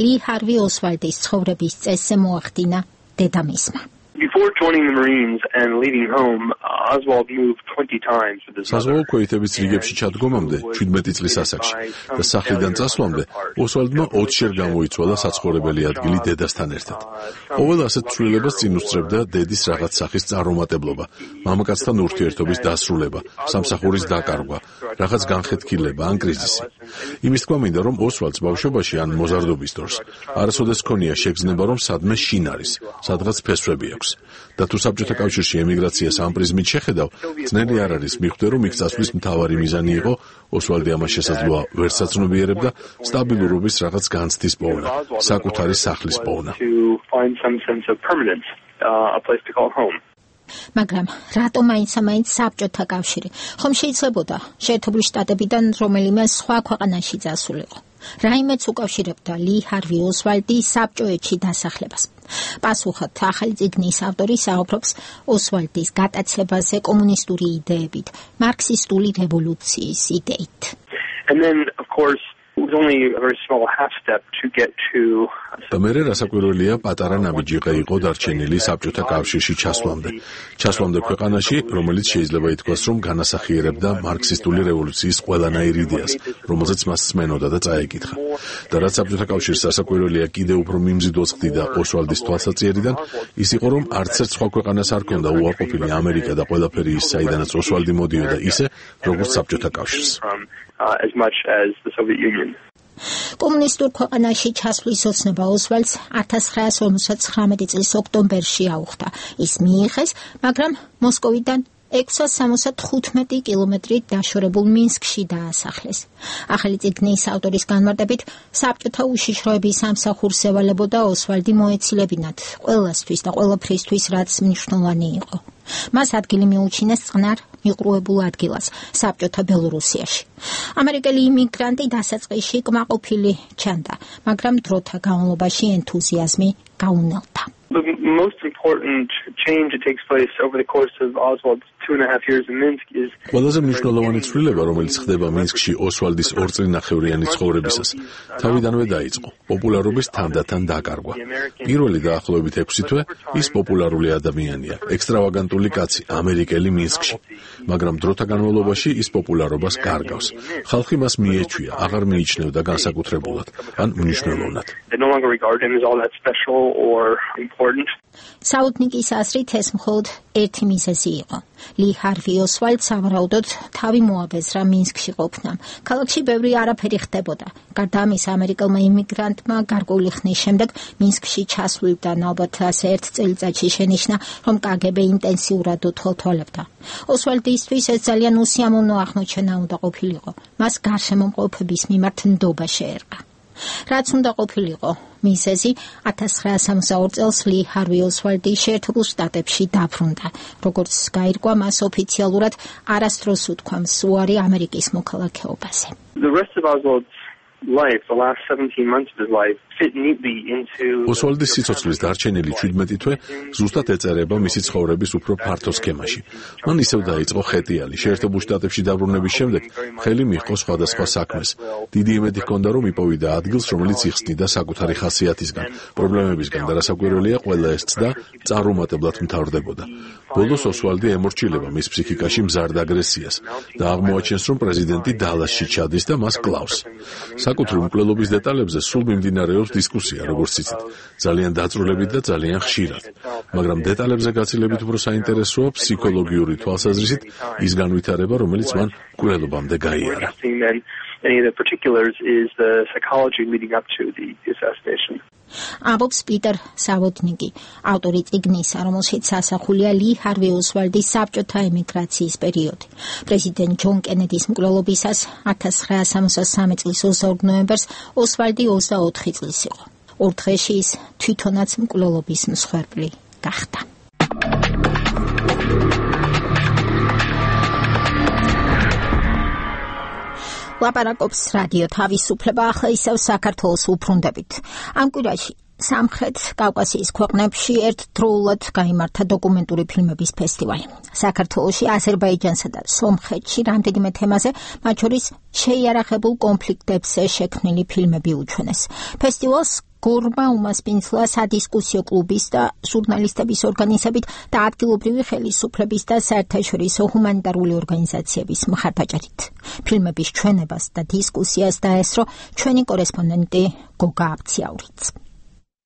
ლი ჰარვი ოსვალდის ცხოვრების წესზე მოახდინა დედამისმა. Before joining the Marines and leaving home, Oswald moved twenty times with his mother. საზღვაო ქვეითების რიგებში ჩადგომამდე შვიდმეტი წლის ასაკში და სახლიდან წასვლამდე ოსვალდმა ოცშერ გამოიცვალა საცხოვრებელი ადგილი დედასთან ერთად. ყოველ ასეთ ცვლილებას წინ უსწრებდა დედის რაღაც სახის წარუმატებლობა, მამაკაცთან ურთიერთობის დასრულება, სამსახურის დაკარგვა, რაღაც განხეთქილება ან კრიზისი. იმის თქმა მინდა, რომ ოსვალდს ბავშვობაში ან მოზარდობის დროს არასოდეს ჰქონია შეგრძნება, რომ სადმე შინ არის, სადღაც ფესვები აქვს. და თუ საბჭოთა კავშირში ემიგრაციას ამ პრიზმით შეხედავ, ძნელი არ არის მიხვდე, რომ იქ წასვლის მთავარი მიზანი იყო ოსვალდი ამას შესაძლოა ვერ საცნობიერებდა სტაბილურობის რაღაც განცდის პოვნა, საკუთარი სახლის პოვნა. მაგრამ რატომ მაინც-მაინც საბჭოთა კავშირი? ხომ შეიძლებოდა შეერთებული შტატებიდან რომელიმე სხვა ქვეყანაში წასულიყო? რაიმეც უკავშირებდა ლი ჰარვი ოსვალდის საბჭოეთში დასახლებას. პასუხად ახალი წიგნის ავტორი საუბრობს ოსვალდის გატაცებაზე კომუნისტური იდეებით, მარქსისტული რევოლუციის იდეით. And then of course it was only a very small half step to get to და მერე რასაკვირველია პატარა ნაბიჯი იყო დარჩენილი საბჭოთა კავშირში ჩასვლამდე. ჩასვლამდე ქვეყანაში, რომელიც შეიძლება ითქვას, რომ განასახიერებდა მარქსისტული რევოლუციის ყველანაირ იდეას, რომელზეც მას სმენოდა და წაეკითხა. და რაც საბჭოთა კავშირს რასაკვირველია კიდევ უფრო მიმზიდვას ხდიდა ოსვალდის თვალსაჩინარიდან, ის იყო, რომ არც ერთ სხვა ქვეყანას არ ჰქონდა უარყოფილი ამერიკა და ყველაფერი ის, საიდანაც ოსვალდი მოდიოდა ისე, როგორც საბჭოთა კავშირს. as much as the Soviet Union. კომუნისტურ ქვეყანაში ჩასვლის ოცნება ოსვალდს ათას ცხრაას ორმოცდაცხრამეტი წლის ოქტომბერში აუხდა. ის მიიღეს, მაგრამ მოსკოვიდან ექვსას სამოცდათხუთმეტი კილომეტრით დაშორებულ მინსკში დაასახლეს. ახალი წიგნის ავტორის განმარტებით, საბჭოთა უშიშროების სამსახურს ევალებოდა ოსვალდი მოეცილებინათ ყველასთვის და ყველაფრისთვის, რაც მნიშვნელოვანი იყო. მას ადგილი მიუჩინეს წყნარ მიყრუებულ ადგილას, საბჭოთა ბელორუსიაში. ამერიკელი იმიგრანტი დასაწყისში კმაყოფილი ჩანდა, მაგრამ დროთა განმავლობაში ენთუზიაზმი გაუნელდა. The most important change that takes place over the course of Oswald's two and a half years in Minsk is ყველაზე მნიშვნელოვანი ცვლილება, რომელიც ხდება მინსკში ოსვალდის ორწლინახევრიანი ცხოვრებისას, თავიდანვე დაიწყო. პოპულარობის თანდათან დაკარგვა. პირველი დაახლოებით ექვსი თვე ის პოპულარული ადამიანია, ექსტრავაგანტული კაცი, ამერიკელი მინსკში. მაგრამ დროთა განმავლობაში ის პოპულარობას კარგავს. ხალხი მას მიეჩვია, აღარ მიიჩნევდა განსაკუთრებულად ან მნიშვნელოვნად. they no longer regard him as all that special or important. საუთნიკის აზრით ეს მხოლოდ ერთი მიზეზი იყო. ლი ჰარვი ოსვალდს სავარაუდოდ თავი მოაბეზრა მინსკში ყოფნამ. ქალაქში ბევრი არაფერი ხდებოდა. გარდა ამისა, ამერიკელმა იმიგრანტმა გარკვეული ხნის შემდეგ მინსკში ჩასვლიდან ალბათ ასე ერთ წელიწადში შენიშნა, რომ კაგები ინტენსიურად უთვალთვალებდა. ოსვალდისთვის ეს ძალიან უსიამოვნო აღმოჩენა უნდა ყოფილიყო. მას გარშემომყოფების მიმართ ნდობა შეერყა. რაც უნდა ყოფილიყო, მიზეზი ათას ცხრაასი სამოცდაორი წელს ლი ჰარვი ოსვალდი შეერთებულ შტატებში დაბრუნდა. როგორც გაირკვა, მას ოფიციალურად არასდროს უთქვამს უარი ამერიკის მოქალაქეობაზე. The rest of Oswald's life, the last seventeen months of his life, fit neatly into ოსვალდის სიცოცხლის დარჩენილი შვიდმეტი თვე ზუსტად ეწერება მისი ცხოვრების უფრო ფართო სქემაში. მან ისევ დაიწყო ხეტიალი. შეერთებულ შტატებში დაბრუნების შემდეგ ხელი მიჰყო სხვადასხვა საქმეს. დიდი იმედი ჰქონდა, რომ იპოვიდა ადგილს, რომელიც იხსნიდა საკუთარი ხასიათისგან, პრობლემებისგან და რასაკვირველია, ყველა ეს ცდა წარუმატებლად მთავრდებოდა. ბოლოს ოსვალდი ემორჩილება მის ფსიქიკაში მზარდ აგრესიას და აღმოაჩენს, რომ პრეზიდენტი დალასში ჩადის და მას კლავს. საკუთრივ მკვლელობის დეტალებზე სულ მიმდინარეობს დისკუსია, როგორც იცით, ძალიან დაწვრილებით და ძალიან ხშირად. მაგრამ დეტალებზე გაცილებით უფრო საინტერესოა ფსიქოლოგიური თვალსაზრისით ის განვითარება, რომელიც მან მკვლელობამდე გაიარა. Any of the particulars is the psychology leading up to the assassination. ამბობს პიტერ სავოტნიკი, ავტორი წიგნისა, რომელშიც ასახულია ლი ჰარვი ოსვალდის საბჭოთა ემიგრაციის პერიოდი. პრეზიდენტ ჯონ კენედის მკვლელობისას ათას ცხრაასი სამოცდასამი წლის ოცდაორი ნოემბერს ოსვალდი ოცდაოთხი წლის იყო. ორ დღეში ის თვითონაც მკვლელობის მსხვერპლი გახდა. ლაპარაკობს რადიო თავისუფლება, ახლა ისევ საქართველოს უბრუნდებით. ამ კვირაში სამხრეთ კავკასიის ქვეყნებში ერთდროულად გაიმართა დოკუმენტური ფილმების ფესტივალი. საქართველოში, აზერბაიჯანსა და სომხეთში რამდენიმე თემაზე, მათ შორის შეიარაღებულ კონფლიქტებზე შექმნილი ფილმები უჩვენეს. ფესტივალს გორმა უმასპინძლა სადისკუსიო კლუბის და ჟურნალისტების ორგანიზებით და ადგილობრივი ხელისუფლების და საერთაშორისო ჰუმანიტარული ორგანიზაციების მხარდაჭერით. ფილმების ჩვენებას და დისკუსიას დაესწრო ჩვენი კორესპონდენტი გოგა აბციაურიც.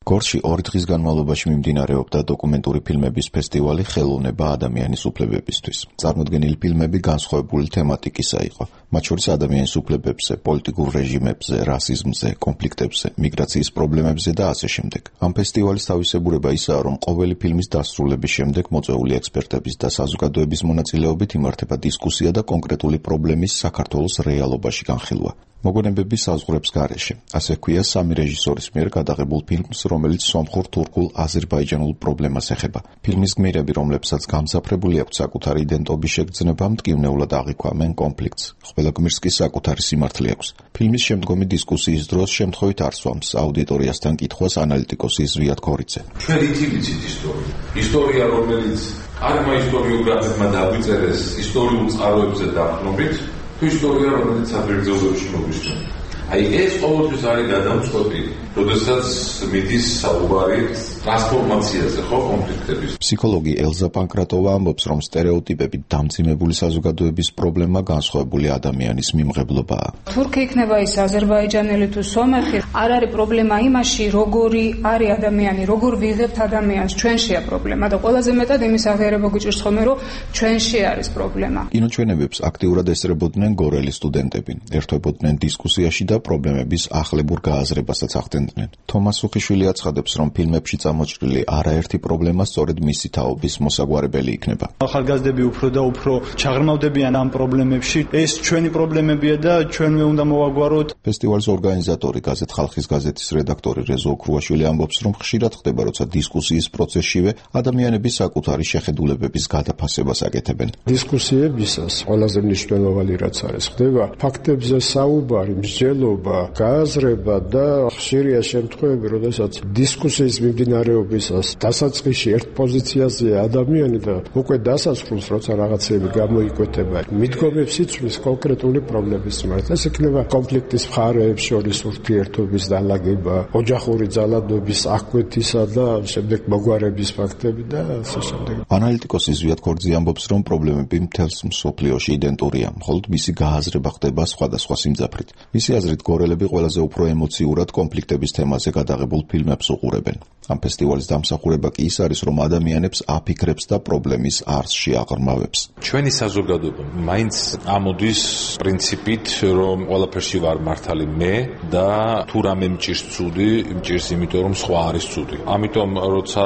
გორში ორი დღის განმავლობაში მიმდინარეობდა დოკუმენტური ფილმების ფესტივალი ხელოვნება ადამიანის უფლებებისთვის. წარმოდგენილი ფილმები განსხვავებული თემატიკისა იყო, მათ შორის ადამიანის უფლებებზე, პოლიტიკურ რეჟიმებზე, რასიზმზე, კონფლიქტებზე, მიგრაციის პრობლემებზე და ასე შემდეგ. ამ ფესტივალის თავისებურება ისაა, რომ ყოველი ფილმის დასრულების შემდეგ მოწვეული ექსპერტების და საზოგადოების მონაწილეობით იმართება დისკუსია და კონკრეტული პრობლემის საქართველოს რეალობაში განხილვა. მოგონებების საზღვრებს გარეშე. ასე ქვია სამი რეჟისორის მიერ გადაღებულ ფილმს, რომელიც სომხურ, თურქულ, აზერბაიჯანულ პრობლემას ეხება. ფილმის გმირები, რომლებსაც გამძაფრებული აქვთ საკუთარი იდენტობის შეგრძნება, მტკივნეულად აღიქვამენ კონფლიქტს. ყველა გმირს კი საკუთარი სიმართლე აქვს. ფილმის შემდგომი დისკუსიის დროს შემთხვევით არ სვამს აუდიტორიასთან კითხვას ანალიტიკოსი ზვიად ქორიძე. ჩვენ ითივით ისტორია. ისტორია, რომელიც არმა ისტორიოგრაფებმა დაგვიწერეს ისტორიულ წყაროებზე დაყრდნობით, თუ ისტორია, რომელიც საფრთხეებში მოგვისმენთ. აი ეს ყოველთვის არის გადამწყვეტი, როდესაც მიდის საუბარი ტრანსფორმაციაზე, ხო, კონფლიქტების. ფსიქოლოგი ელზა პანკრატოვა ამბობს, რომ სტერეოტიპებით დამძიმებული საზოგადოების პრობლემა განსხვავებული ადამიანის მიმღებლობაა. თურქი იქნება ის აზერბაიჯანელი თუ სომეხი, არ არის პრობლემა იმაში, როგორი არის ადამიანი, როგორ ვიღებთ ადამიანს, ჩვენშია პრობლემა და ყველაზე მეტად იმის აღიარება გვიჭირს ხოლმე, რომ ჩვენში არის პრობლემა. კინოჩვენებებს აქტიურად ესწრებოდნენ გორელი სტუდენტები, ერთვებოდნენ დისკუსიაში და პრობლემების ახლებურ გააზრებასაც ახდენდნენ. თომას სუხიშვილი აცხადებს, რომ ფილმებში წამოჭრილი არაერთი პრობლემა სწორედ მისი თაობის მოსაგვარებელი იქნება. ახალგაზრდები უფრო და უფრო ჩაღრმავდებიან ამ პრობლემებში. ეს ჩვენი პრობლემებია და ჩვენვე უნდა მოვაგვაროთ. ფესტივალის ორგანიზატორი, გაზეთ ხალხის გაზეთის redaktori რეზო ოქრუაშვილი ამბობს, რომ ხშირად ხდება, როცა დისკუსიის პროცესშივე ადამიანები საკუთარი შეხედულებების გადაფასებას აკეთებენ. დისკუსიებისას ყველაზე მნიშვნელოვანი რაც არის, ხდება ფაქტებზე საუბარი, მსჯელობა, გააზრება და ხშირი ბევრია შემთხვევები, როდესაც დისკუსიის მიმდინარეობისას დასაწყისში ერთ პოზიციაზეა ადამიანი და უკვე დასასრულს, როცა რაღაცები გამოიკვეთება, მიდგომებს იცვლის კონკრეტული პრობლემის მიმართ. ეს იქნება კონფლიქტის მხარეებს შორის ურთიერთობის დალაგება, ოჯახური ძალადობის აღკვეთისა და შემდეგ მოგვარების ფაქტები და ასე შემდეგ. ანალიტიკოსი ზვიად ქორძი ამბობს, რომ პრობლემები მთელს მსოფლიოში იდენტურია, მხოლოდ მისი გააზრება ხდება სხვადასხვა სიმძაფრით. მისი აზრით, გორელები ყველაზე უფრო ემოციურად კონფლიქტების თემაზე გადაღებულ ფილმებს უყურებენ. ამ ფესტივალის დამსახურება კი ის არის, რომ ადამიანებს აფიქრებს და პრობლემის არსში აღრმავებს. ჩვენი საზოგადოება მაინც ამოდის პრინციპით, რომ ყველაფერში ვარ მართალი მე და თუ რამე მჭირს ცუდი, მჭირს იმიტომ, რომ სხვა არის ცუდი. ამიტომ როცა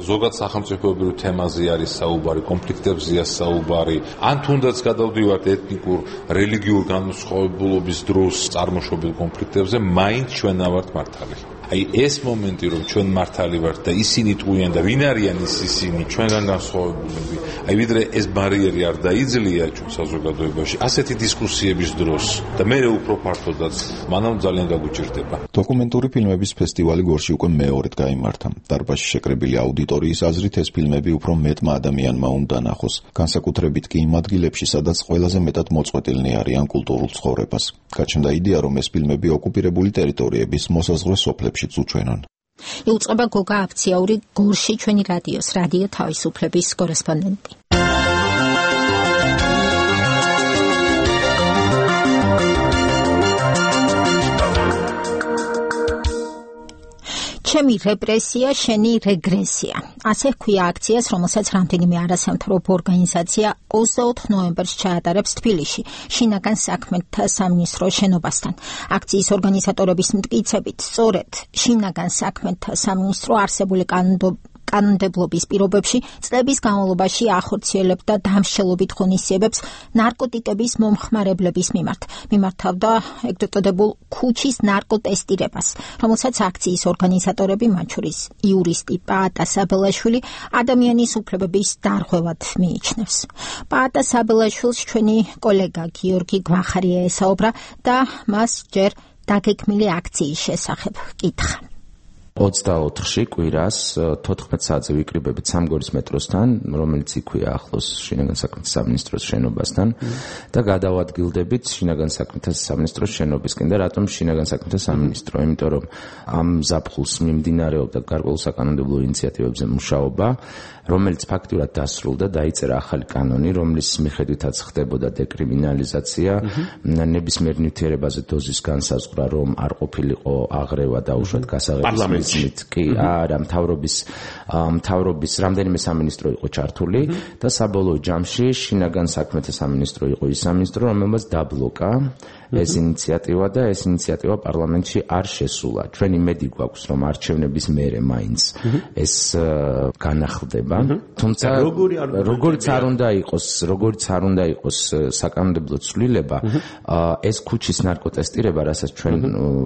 ზოგადად სახელმწიფოებრივ თემაზე არის საუბარი, კონფლიქტებზეა საუბარი, ან თუნდაც გადავდივართ ეთნიკურ, რელიგიურ განსხვავებულობის დროს წარმოშობილ კონფლიქტებზე, მაინც ჩვენ ავართ მართალი. აი ეს მომენტი, რომ ჩვენ მართალი ვართ და ისინი ტყუიან და ვინ არიან ის ისინი, ჩვენგან განსხვავებულები, აი ვიდრე ეს ბარიერი არ დაიძლია ჩვენ საზოგადოებაში, ასეთი დისკუსიების დროს და მე უფრო ფართოდაც, მანამ ძალიან გაგუჭირდება. დოკუმენტური ფილმების ფესტივალი გორში უკვე მეორედ გაიმართა. დარბაზში შეკრებილი აუდიტორიის აზრით ეს ფილმები უფრო მეტმა ადამიანმა უნდა ნახოს, განსაკუთრებით კი იმ ადგილებში, სადაც ყველაზე მეტად მოწყვეტილნი არიან კულტურულ ცხოვრებას. გაჩნდა იდეა, რომ ეს ფილმები ოკუპირებული ტერიტორიების მოსაზღვრე სოფლებშიც უჩვენონ. იუწყება გოგა აფციაური, გორში ჩვენი რადიოს, რადიო თავისუფლების კორესპონდენტი. ჩემი რეპრესია, შენი რეგრესია. ასე ჰქვია აქციას, რომელსაც რამდენიმე არასამთავრობო ორგანიზაცია ოცდაოთხ ნოემბერს ჩაატარებს თბილისში, შინაგან საქმეთა სამინისტროს შენობასთან. აქციის ორგანიზატორების მტკიცებით, სწორედ შინაგან საქმეთა სამინისტრო არსებული კანონმდებლობის კანონმდებლობის პირობებში წლების განმავლობაში ახორციელებდა დამსჯელობით ღონისძიებებს ნარკოტიკების მომხმარებლების მიმართ. მიმართავდა ეგრეთ წოდებულ ქუჩის ნარკოტესტირებას, რომელსაც აქციის ორგანიზატორები, მათ შორის იურისტი პაატა საბელაშვილი, ადამიანის უფლებების დარღვევად მიიჩნევს. პაატა საბელაშვილს ჩვენი კოლეგა გიორგი გვახარია ესაუბრა და მას ჯერ დაგეგმილი აქციის შესახებ კითხა. ოცდაოთხში კვირას თოთხმეტ საათზე ვიკრიბებით სამგორის მეტროსთან, რომელიც იქვია ახლოს შინაგან საქმეთა სამინისტროს შენობასთან და გადავადგილდებით შინაგან საქმეთა სამინისტროს შენობისკენ. და რატომ შინაგან საქმეთა სამინისტრო? იმიტომ რომ ამ ზაფხულს მიმდინარეობდა გარკვეულ საკანონმდებლო ინიციატივებზე მუშაობა, რომელიც ფაქტურად დასრულდა, დაიწერა ახალი კანონი, რომლის მიხედვითაც ხდებოდა დეკრიმინალიზაცია, ნებისმიერ ნივთიერებაზე დოზის განსაზღვრა, რომ არ ყოფილიყო აღრევა და უშუალოდ გასაღების მიზნით. კი, არა, მთავრობის მთავრობის რამდენიმე სამინისტრო იყო ჩართული და საბოლოო ჯამში შინაგან საქმეთა სამინისტრო იყო ის სამინისტრო, რომელმაც დაბლოკა ეს ინიციატივა და ეს ინიციატივა პარლამენტში არ შესულა. ჩვენი მედი გვაქვს, რომ არჩევნების მერე მაინც ეს განახლდება. თუმცა როგორც არ უნდა იყოს, როგორც არ უნდა იყოს საკანონმდებლო ცვლილება, ეს ქუჩის ნარკოტესტირება, რასაც ჩვენ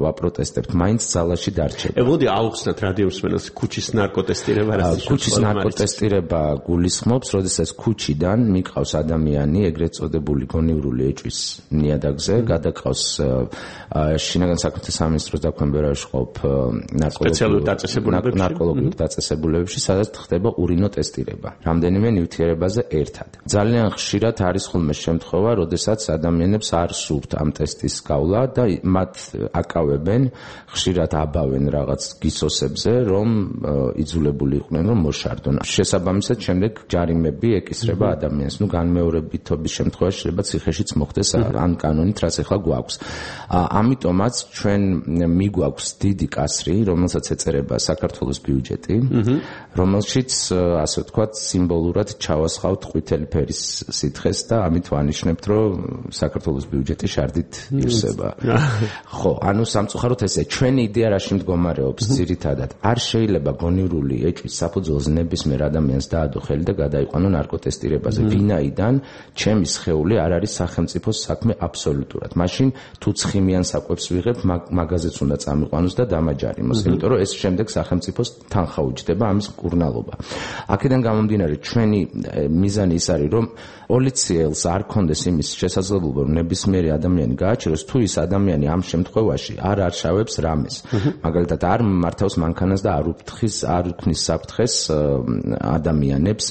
ვაპროტესტებთ, მაინც ძალაში დარჩება. ებოდი აუხსნათ რადიოსმენელს ქუჩის ნარკოტესტირება რასაც ქუჩის ნარკოტესტირება გულისხმობს, როდესაც ქუჩიდან მიყავს ადამიანი ეგრეთ წოდებული გონივრული ეჭვის ნიადაგზე, გადაყავს შინაგან საქმეთა სამინისტროს დაქვემდებარებაში ყოფ ნარკოლოგიურ დაწესებულებებში, სადაც ხდება ურინო ტესტირება რამდენიმე ნივთიერებაზე ერთად. ძალიან ხშირად არის ხოლმე შემთხვევა, როდესაც ადამიანებს არ სურთ ამ ტესტის გავლა და მათ აკავებენ, ხშირად აბავენ რაღაც გისოსებზე, რომ იძულებული იყვნენ რომ მოშარდონ. შესაბამისად, შემდეგ ჯარიმები ეკისრება ადამიანს. ნუ განმეორებითობის შემთხვევაში შეიძლება ციხეშიც მოხდეს ამ კანონით, რაც ახლა გვაქვს. ამიტომაც ჩვენ მიგვაქვს დიდი კასრი, რომელსაც ეწერება საქართველოს ბიუჯეტი, რომელშიც ასე ვთქვათ, სიმბოლურად ჩავასხავთ ყვითელი ფერის სითხეს და ამით ვანიშნებთ, რომ საქართველოს ბიუჯეტი შარდით ივსება. ხო, ანუ სამწუხაროდ ესე ჩვენი იდეა რაში მდგომარეობს? ძირითადად არ შეიძლება გონივრული ეჭვის საფუძველზე ნებისმიერ ადამიანს დაადო ხელი და გადაიყვანო ნარკოტესტირებაზე. ვინაიდან ჩემი სხეული არ არის სახელმწიფოს საქმე აბსოლუტურად. მაშინ თუ ცხიმიან საკვებს ვიღებ, მაგაზეც უნდა წამიყვანოს და დამაჯარიმოს, იმიტომ რომ ეს შემდეგ სახელმწიფოს თანხა უჯდება ამის მკურნალობა. აქედან გამომდინარე, ჩვენი მიზანი ის არის, რომ პოლიციელს არ კონდეს იმის შესაძლებლობა, რომ ნებისმიერი ადამიანი გააჩეროს, თუ ის ადამიანი ამ შემთხვევაში არ არშავებს რამეს. მაგალითად, არ მართავს მანქანას და არ უფრთხის, არ უქმნის საფრთხეს ადამიანებს,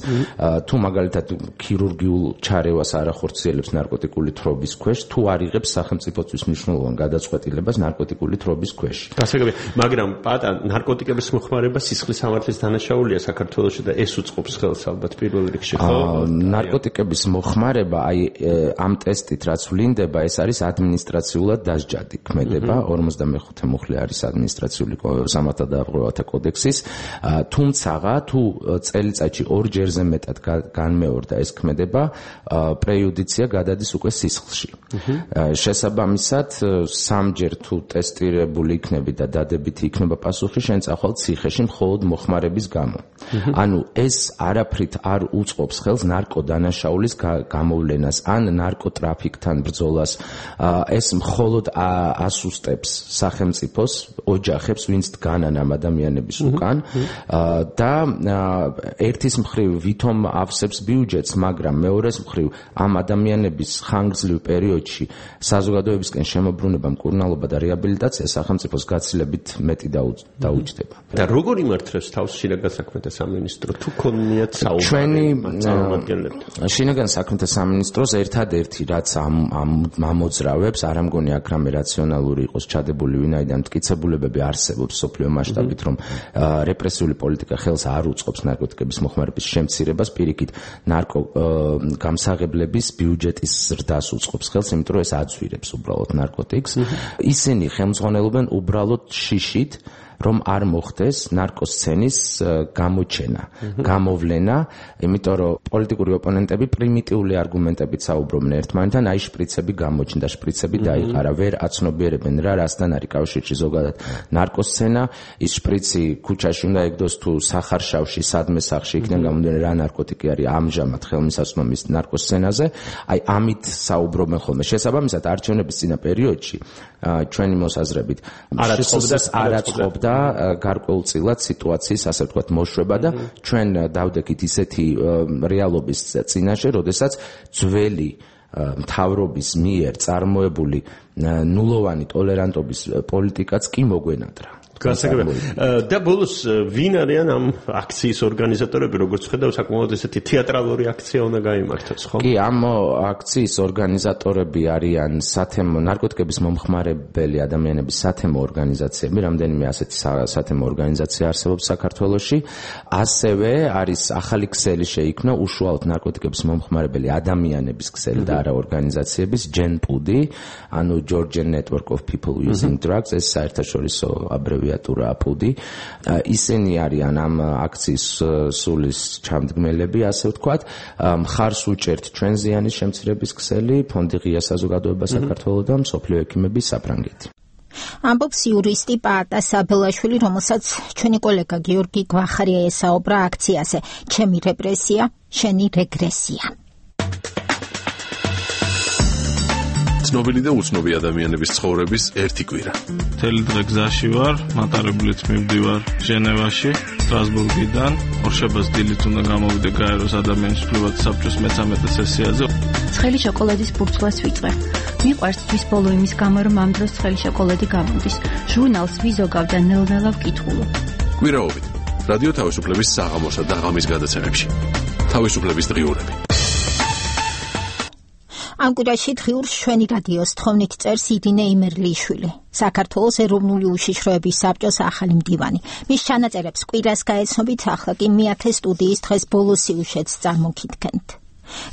თუ მაგალითად ქირურგიულ ჩარევას არ ახორციელებს ნარკოტიკული თრობის ქვეშ, თუ არ იღებს სახელმწიფოსთვის მნიშვნელოვან გადაწყვეტილებას ნარკოტიკული თრობის ქვეშ. გასაგებია, მაგრამ პატა ნარკოტიკების მოხმარება სისხლის სამართლის დანაშაულია საქართველოში და ეს უწყობს ხელს ალბათ პირველ რიგში, ხო? ნარკოტიკების მოხმარება, აი ამ ტესტით რაც ვლინდება, ეს არის ადმინისტრაციულად დასჯადი ქმედება, ორმოცდამეხუთე მუხლი არის ადმინისტრაციული სამართალდამცავთა კოდექსის, თუმცა თუ წელიწადში ორჯერზე მეტად განმეორდა ეს ქმედება, პრეიუდიცია გადადის უკვე სისხლში. შესაბამისად, სამჯერ თუ ტესტირებული იქნები და დადებითი იქნება პასუხი, შენ წახვალ ციხეში მხოლოდ მოხმარების გამო. ანუ ეს არაფრით არ უწყობს ხელს ნარკოდანაშაულის გამოვლენას ან ნარკოტრაფიკთან ბრძოლას. ეს მხოლოდ ასუსტებს სახელმწიფოს ოჯახებს, ვინც დგანან ამ ადამიანების უკან და ერთის მხრივ ვითომ ავსებს ბიუჯეტს, მაგრამ მეორეს მხრივ ამ ადამიანების ხანგრძლივ პერიოდში საზოგადოებისკენ შემოbrunება, მკურნალობა და რეაბილიტაცია სახელმწიფოს გაცილებით მეტი დაუჯდება. და როგორ იმართებს თავს შინაგან საქმეთა სამინისტრო? თუ ქონიათ საუბარი ჩვენი შინაგან საქმეთა სამინისტროს ერთადერთი რაც ამ ამოძრავებს, არ ამგონი აქ რამე რაციონალური იყოს ჩადებული, ვინაიდან მტკიცებულებები არსებობს სოფლიო მასშტაბით, რომ რეპრესიული პოლიტიკა ხელს არ უწყობს ნარკოტიკების მოხმარების შემცირებას, პირიქით ნარკო გამსაღებლების ბიუჯეტის ზრდას უწყობს ხელს, იმიტომ რომ ეს აძვირებს უბრალოდ ნარკოტიკს. ისინი ხელმძღვანელობენ უბრალოდ შიშით, რომ არ მოხდეს ნარკოსცენის გამოჩენა, გამოვლენა, იმიტომ რომ პოლიტიკური ოპონენტები პრიმიტიული არგუმენტებით საუბრობენ ერთმანეთთან, აი შპრიცები გამოჩნდა, შპრიცები დაიყარა, ვერ აცნობიერებენ რა რასთან არის კავშირში ზოგადად ნარკოსცენა, ის შპრიცი ქუჩაში უნდა ეგდოს თუ სახარშავში, სადმე სახლში, იქიდან გამომდინარე რა ნარკოტიკი არის ამჟამად ხელმისაწვდომის ნარკოსცენაზე, აი ამით საუბრობენ ხოლმე. შესაბამისად, არჩევნების წინა პერიოდში ჩვენი მოსაზრებით არაწყობდა და გარკვეულწილად სიტუაციის ასე ვთქვათ მოშვება და ჩვენ დავდექით ისეთი რეალობის წინაშე, როდესაც ძველი მთავრობის მიერ წარმოებული ნულოვანი ტოლერანტობის პოლიტიკაც კი მოგვენატრა. გასაგებია. და ბოლოს ვინ არიან ამ აქციის ორგანიზატორები, როგორც ხედავ, საკმაოდ ესეთი თეატრალური აქცია უნდა გაიმართოს, ხო? კი, ამ აქციის ორგანიზატორები არიან სათემო ნარკოტიკების მომხმარებელი ადამიანების სათემო ორგანიზაციები, რამდენიმე ასეთი სათემო ორგანიზაცია არსებობს საქართველოში. ასევე არის ახალი ქსელი შეიქმნა უშუალოდ ნარკოტიკების მომხმარებელი ადამიანების ქსელი და არა ორგანიზაციების ჯენპუდი, ანუ Georgian Network of People Using Drugs, ეს საერთაშორისო აბრევიატურა აპუდი. ისინი არიან ამ აქციის სულის ჩამდგმელები, ასე ვთქვათ. მხარს უჭერთ ჩვენ ზიანის შემცირების ქსელი, ფონდი ღია საზოგადოება საქართველოს და მსოფლიო ექიმების საფრანგეთი. ამბობს იურისტი პაატა საბელაშვილი, რომელსაც ჩვენი კოლეგა გიორგი გვახარია ესაუბრა აქციაზე ჩემი რეპრესია, შენი რეგრესია. ცნობილი და უცნობი ადამიანების ცხოვრების ერთი კვირა. მთელი დღე გზაში ვარ, მატარებლით მივდივარ ჟენევაში, სტრასბურგიდან. ორშაბათს დილით უნდა გამოვიდე გაეროს ადამიანის უფლებათა საბჭოს მეცამეტე სესიაზე. ცხელი შოკოლადის ბურცლას ვიწყე. მიყვარს თვის ბოლო იმის გამო, რომ ამ დროს ცხელი შოკოლადი გამოდის. ჟურნალს ვიზოგავ და ნელ-ნელა ვკითხულობ. კვირაობით რადიო თავისუფლების საღამოსა და ღამის გადაცემებში. თავისუფლების დღიურები. ამ კვირაში დღიურს ჩვენი რადიოს თხოვნით წერს ირინე იმერლიშვილი, საქართველოს ეროვნული უშიშროების საბჭოს ახალი მდივანი. მის ჩანაწერებს კვირას გაეცნობით, ახლა კი მეათე სტუდიის დღეს ბოლო სიუჟეტს წარმოგიდგენთ.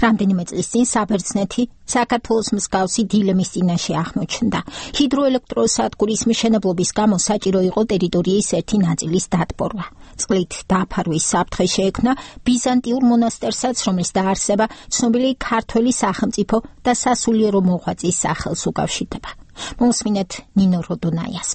რამდენიმე წლის წინ საბერძნეთი საქართველოს მსგავსი დილემის წინაშე აღმოჩნდა. ჰიდროელექტროსადგურის მშენებლობის გამო საჭირო იყო ტერიტორიის ერთი ნაწილის დატბორვა. წყლით დაფარვის საფრთხე შეექმნა ბიზანტიურ მონასტერსაც, რომლის დაარსება ცნობილი ქართველი სახელმწიფო და სასულიერო მოღვაწის სახელს უკავშირდება. მოსმინეთ ნინო როდონაიას.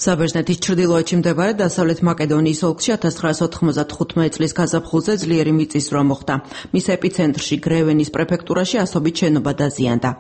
საბერძნეთის ჩრდილოეთში მდებარე დასავლეთ მაკედონიის ოლქში ათას ცხრაასი ოთხმოცდახუთმეტი წლის გაზაფხულზე ძლიერი მიწისძვრა მოხდა. მის ეპიცენტრში გრევენის პრეფექტურაში ასობით შენობა დაზიანდა.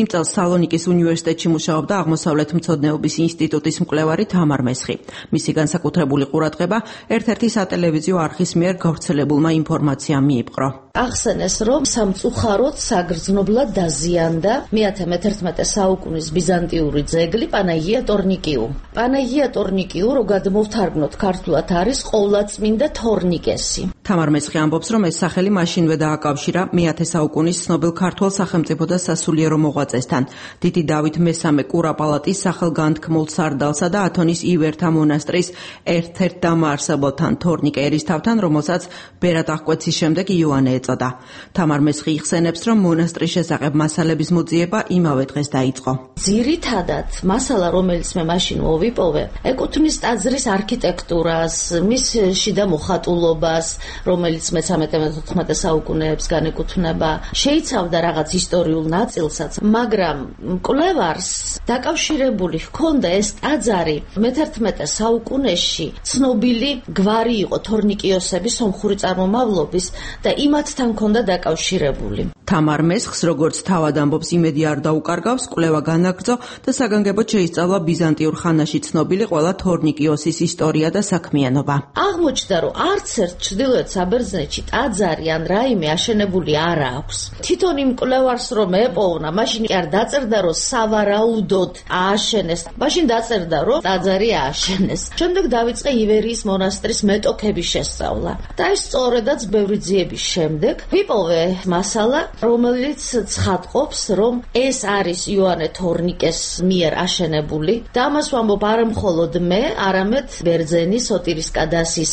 იმ წელს სალონიკის უნივერსიტეტში მუშაობდა აღმოსავლეთ მცოდნეობის ინსტიტუტის მკვლევარი თამარ მესხი. მისი განსაკუთრებული ყურადღება ერთ-ერთი სატელევიზიო არხის მიერ გავრცელებულმა ინფორმაციამ მიიპყრო. ახსენეს, რომ სამწუხაროდ საგრძნობლად დაზიანდა მეათე მეთერთმეტე საუკუნის ბიზანტიური ძეგლი პანაგია ტორნიკიუ. პანაგია ტორნიკიუ, რო გადმოვთარგმნოთ ქართულად, არის ყოვლადწმინდა თორნიკესი. თამარ მესხი ამბობს, რომ ეს სახელი მაშინვე დააკავშირა მეათე საუკუნის ცნობილ ქართველ სახელმწიფო და სასულიერო მოღვაწესთან, დიდი დავით მესამე კურაპალატის სახელგანთქმულ სარდალსა და ათონის ივერთა მონასტრის ერთ-ერთ დამაარსებელთან თორნიკე ერისთავთან, რომელსაც ბერად აღკვეცის შემდეგ იოანე ეწოდა. თამარ მესხი იხსენებს, რომ მონასტრის შესახებ მასალების მოძიება იმავე დღეს დაიწყო. ძირითადად მასალა, რომელიც მე მაშინ მოვიპოვე, ეკუთვნის ტაძრის არქიტექტურას, მის შიდა მოხატულობას, რომელიც მესამე მეთოთხმეტე საუკუნეებს განეკუთვნება, შეიცავდა რაღაც ისტორიულ ნაწილსაც, მაგრამ მკვლევარს დაკავშირებული ჰქონდა ეს ტაძარი მეთერთმეტე საუკუნეში ცნობილი გვარი იყო თორნიკიოსების სომხური წარმომავლობის და იმათთან ჰქონდა დაკავშირებული. თამარ მესხს, როგორც თავად ამბობს, იმედი არ დაუკარგავს, კვლევა განაგრძო და საგანგებოდ შეისწავლა ბიზანტიურ ხანაში ცნობილი ყველა თორნიკიოსის ისტორია და საქმიანობა. აღმოჩნდა, რომ არც ერთ ჩრდილოეთ საბერძნეთში ტაძარი ან რაიმე აშენებული არ აქვს. თვითონ იმ მკვლევარს რომ ეპოვნა, მაშინ არ დაწერდა, რომ სავარაუდოდ ააშენეს. მაშინ დაწერდა, რომ ტაძარი ააშენეს. შემდეგ დაიწყე ივერიის მონასტრის მეტოქების შესწავლა. და ეს სწორედაც ბევრი ძიების შემდეგ ვიპოვე მასალა, რომელიც ცხადყოფს, რომ ეს არის იოანე თორნიკეს მიერ აშენებული და ამას ვამბობ არა მხოლოდ მე, არამედ ბერძენი სოტირის კადასის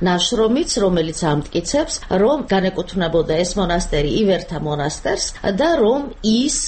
ნაშრომიც, რომელიც ამტკიცებს, რომ განეკუთვნებოდა ეს მონასტერი ივერთა მონასტერს და რომ ის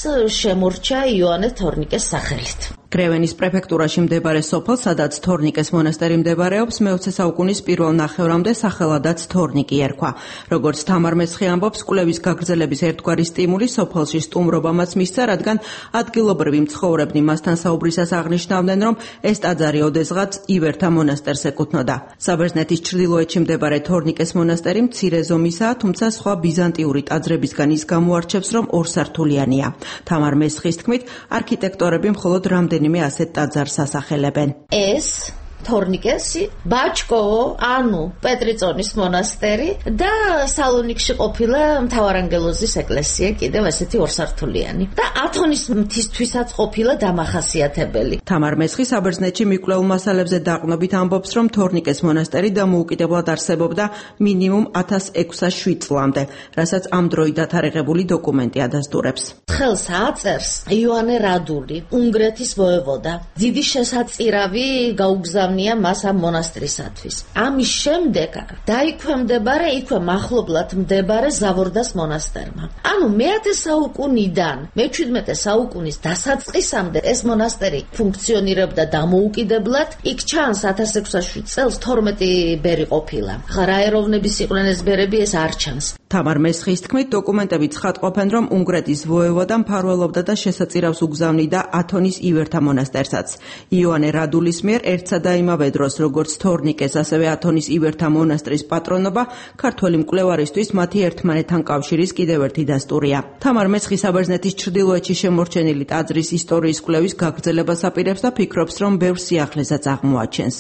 შემორჩა იოანე თორნიკეს სახელით. გრევენის პრეფექტურაში მდებარე სოფელ, სადაც თორნიკეს მონასტერი მდებარეობს, მეოცე საუკუნის პირველ ნახევრამდე სახელადაც თორნიკი ერქვა. როგორც თამარ მესხი ამბობს, კვლევის გაგრძელების ერთგვარი სტიმული სოფელში სტუმრობამაც მისცა, რადგან ადგილობრივი მცხოვრებნი მასთან საუბრისას აღნიშნავდნენ, რომ ეს ტაძარი ოდესღაც ივერთა მონასტერს ეკუთვნოდა. საბერძნეთის ჩრდილოეთში მდებარე თორნიკეს მონასტერი მცირე ზომისაა, თუმცა სხვა ბიზანტიური ტაძრებისგან ის გამოარჩევს, რომ ორსართულიანია. თამარ მესხის თქმით, არქიტექტორები მხოლოდ რამდენი მე ასეთ ტაძარს ასახელებენ. ეს თორნიკესი, ბაჩკოვო, ანუ პეტრიწონის მონასტერი და სალონიკში ყოფილა მთავარანგელოზის ეკლესია, კიდევ ესეთი ორსართულიანი და ათონის მთისთვისაც ყოფილა დამახასიათებელი. თამარ მესხი საბერძნეთში მიკვლეულ მასალებზე დაყრდნობით ამბობს, რომ თორნიკეს მონასტერი დამოუკიდებლად არსებობდა მინიმუმ ათას ექვსას შვიდ წლამდე, რასაც ამ დროით დათარიღებული დოკუმენტი ადასტურებს. ხელს აწერს იოანე რადული, უნგრეთის ვოევოდა. დიდი შესაწირავი გაუგზავნია მას ამ მონასტრისათვის. ამის შემდეგ დაიქვემდებარა იქვე მახლობლად მდებარე ზავორდას მონასტერმა. ანუ მეათე საუკუნიდან მეჩვიდმეტე საუკუნის დასაწყისამდე ეს მონასტერი ფუნქციონირებდა დამოუკიდებლად. იქ ჩანს ათას ექვსას შვიდ წელს თორმეტი ბერი ყოფილა. რა ეროვნების იყვნენ ეს ბერები, ეს არ ჩანს. თამარ მესხის თქმით, დოკუმენტები ცხადყოფენ, რომ უნგრეთის ვოევოდა მფარველობდა და შესაწირავს უგზავნიდა ათონის ივერთა მონასტერსაც. იოანე რადულის მიერ ერთსა და იმავე დროს, როგორც თორნიკეს, ასევე ათონის ივერთა მონასტრის პატრონობა, ქართველი მკვლევარისთვის მათი ერთმანეთთან კავშირის კიდევ ერთი დასტურია. თამარ მესხი საბერძნეთის ჩრდილოეთში შემორჩენილი ტაძრის ისტორიის კვლევის გაგრძელებას აპირებს და ფიქრობს, რომ ბევრ სიახლესაც აღმოაჩენს.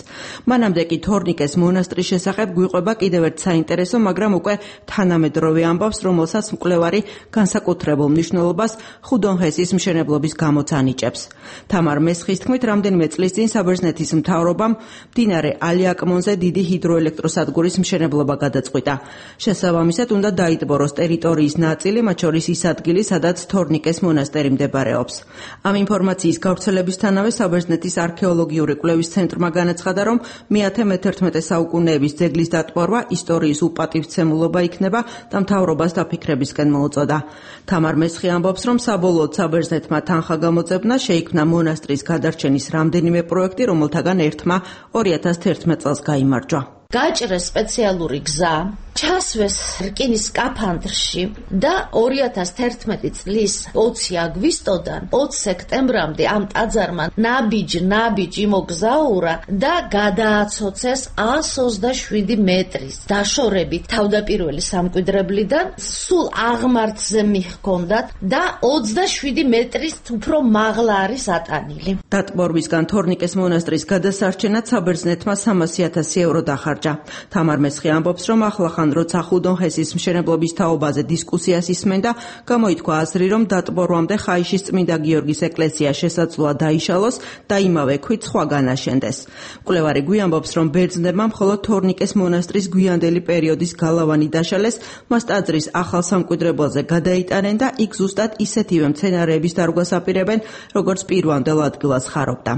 მანამდე კი თორნიკეს მონასტრის შესახებ გვიყვება კიდევ ერთ საინტერესო, მაგრამ უკვე თანამედროვე ამბავს, რომელსაც მკვლევარი განსაკუთრებულ მნიშვნელობას ხუდონჰესის მშენებლობის გამოც ანიჭებს. თამარ მესხის თქმით, რამდენიმე წლის წინ საბერძნეთის მთავრობამ მდინარე ალიაკმონზე დიდი ჰიდროელექტროსადგურის მშენებლობა გადაწყვიტა. შესაბამისად, უნდა დაიტბოროს ტერიტორიის ნაწილი, მათ შორის ის ადგილი, სადაც თორნიკეს მონასტერი მდებარეობს. ამ ინფორმაციის გავრცელებისთანავე საბერძნეთის არქეოლოგიური კვლევის ცენტრმა განაცხადა, რომ მეათე მეთერთმეტე საუკუნეების ძეგლის დატბორვა ისტორიის უპატივცემულობა იქნება და მთავრობას დაფიქრებისკენ მოუწოდა. თამარ მესხი ამბობს, რომ საბოლოოდ საბერძნეთმა თანხა გამოძებნა, შეიქმნა მონასტრის გადარჩენის რამდენიმე პროექტი, რომელთაგან ერთმა ორი ათას თერთმეტ წელს გაიმარჯვა. გაჭრეს სპეციალური გზა ჩასვეს რკინის სკაფანდრში და ორი ათას თერთმეტი წლის ოცი აგვისტოდან ოცი სექტემბრამდე ამ ტაძარმა ნაბიჯ ნაბიჯ იმოგზაურა და გადააცოცეს ას ოცდაშვიდი მეტრის დაშორებით თავდაპირველი სამკვიდრებლიდან სულ აღმართზე მიჰქონდათ და ოცდაშვიდი მეტრის უფრო მაღლა არის ატანილი. დატბორვისგან თორნიკეს მონასტრის გადასარჩენად საბერძნეთმა სამასი ათასი ევრო დახარჯა. თამარ მესხი ამბობს, რომ ახლახან როცა ხუდონხესის მშენებლობის თაობაზე დისკუსიას ისმენდა, გამოითქვა აზრი, რომ დატბორვამდე ხაიშის წმინდა გიორგის ეკლესია შესაძლოა დაიშალოს და იმავე ქვით სხვა განაშენდეს. მკვლევარი გვიამბობს, რომ ბერძნებმა მხოლოდ თორნიკეს მონასტრის გვიანდელი პერიოდის გალავანი დაშალეს, მას ტაძრის ახალ სამკვიდრებელზე გადაიტანენ და იქ ზუსტად ისეთივე მცენარეების დარგვას აპირებენ, როგორც პირვანდელ ადგილას ხარობდა.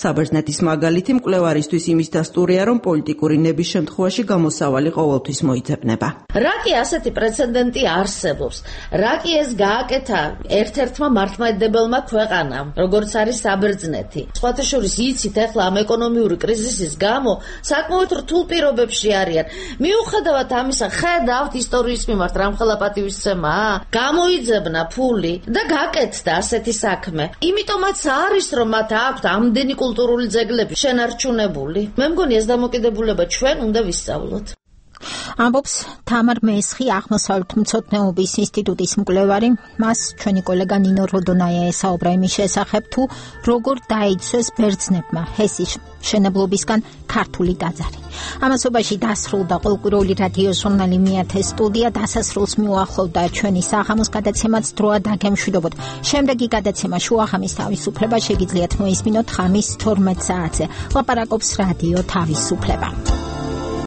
საბერძნეთის მაგალითი მკვლევარისთვის იმის დასტურია, რომ პოლიტიკური ნების შემთხვევაში გამოსავალი ყოველთვის მოიძებნება. რა კი ასეთი პრეცედენტი არსებობს? რა კი ეს გააკეთა ერთ-ერთმა მართლმადიდებელმა ქვეყანამ, როგორც არის საბერძნეთი? სხვათა შორის იცით, ახლა ამ ეკონომიური კრიზისის გამო საკმაოდ რთულ პირობებში არიან. მიუხედავად ამისა, ხედავთ ისტორიის მიმართ რამხელა პატივისცემა, გამოიძებნა ფული და გაკეთდა ასეთი საქმე. იმიტომაც არის, რომ მათ აქვთ ამდენი კულტურული ძეგლები შენარჩუნებული. მე მგონი ეს დამოკიდებულება ჩვენ უნდა ვისწავლოთ. ამბობს თამარ მესხი, აღმოსავლეთმცოდნეობის ინსტიტუტის მკვლევარი. მას ჩვენი კოლეგა ნინო როდონაია ესაუბრა იმის შესახებ, თუ როგორ დაიცვეს ბერძნებმა ჰესის მშენებლობისგან ქართული ტაძარი. ამასობაში დასრულდა ყოველკვირეული რადიო ჟურნალი მეათე სტუდია. დასასრულს მიუახლოვდა ჩვენი საღამოს გადაცემაც დროა დაგემშვიდობოთ. შემდეგი გადაცემა შუახამის თავისუფლება შეგიძლიათ მოისმინოთ ხამის თორმეტ საათზე. ლაპარაკობს რადიო თავისუფლება.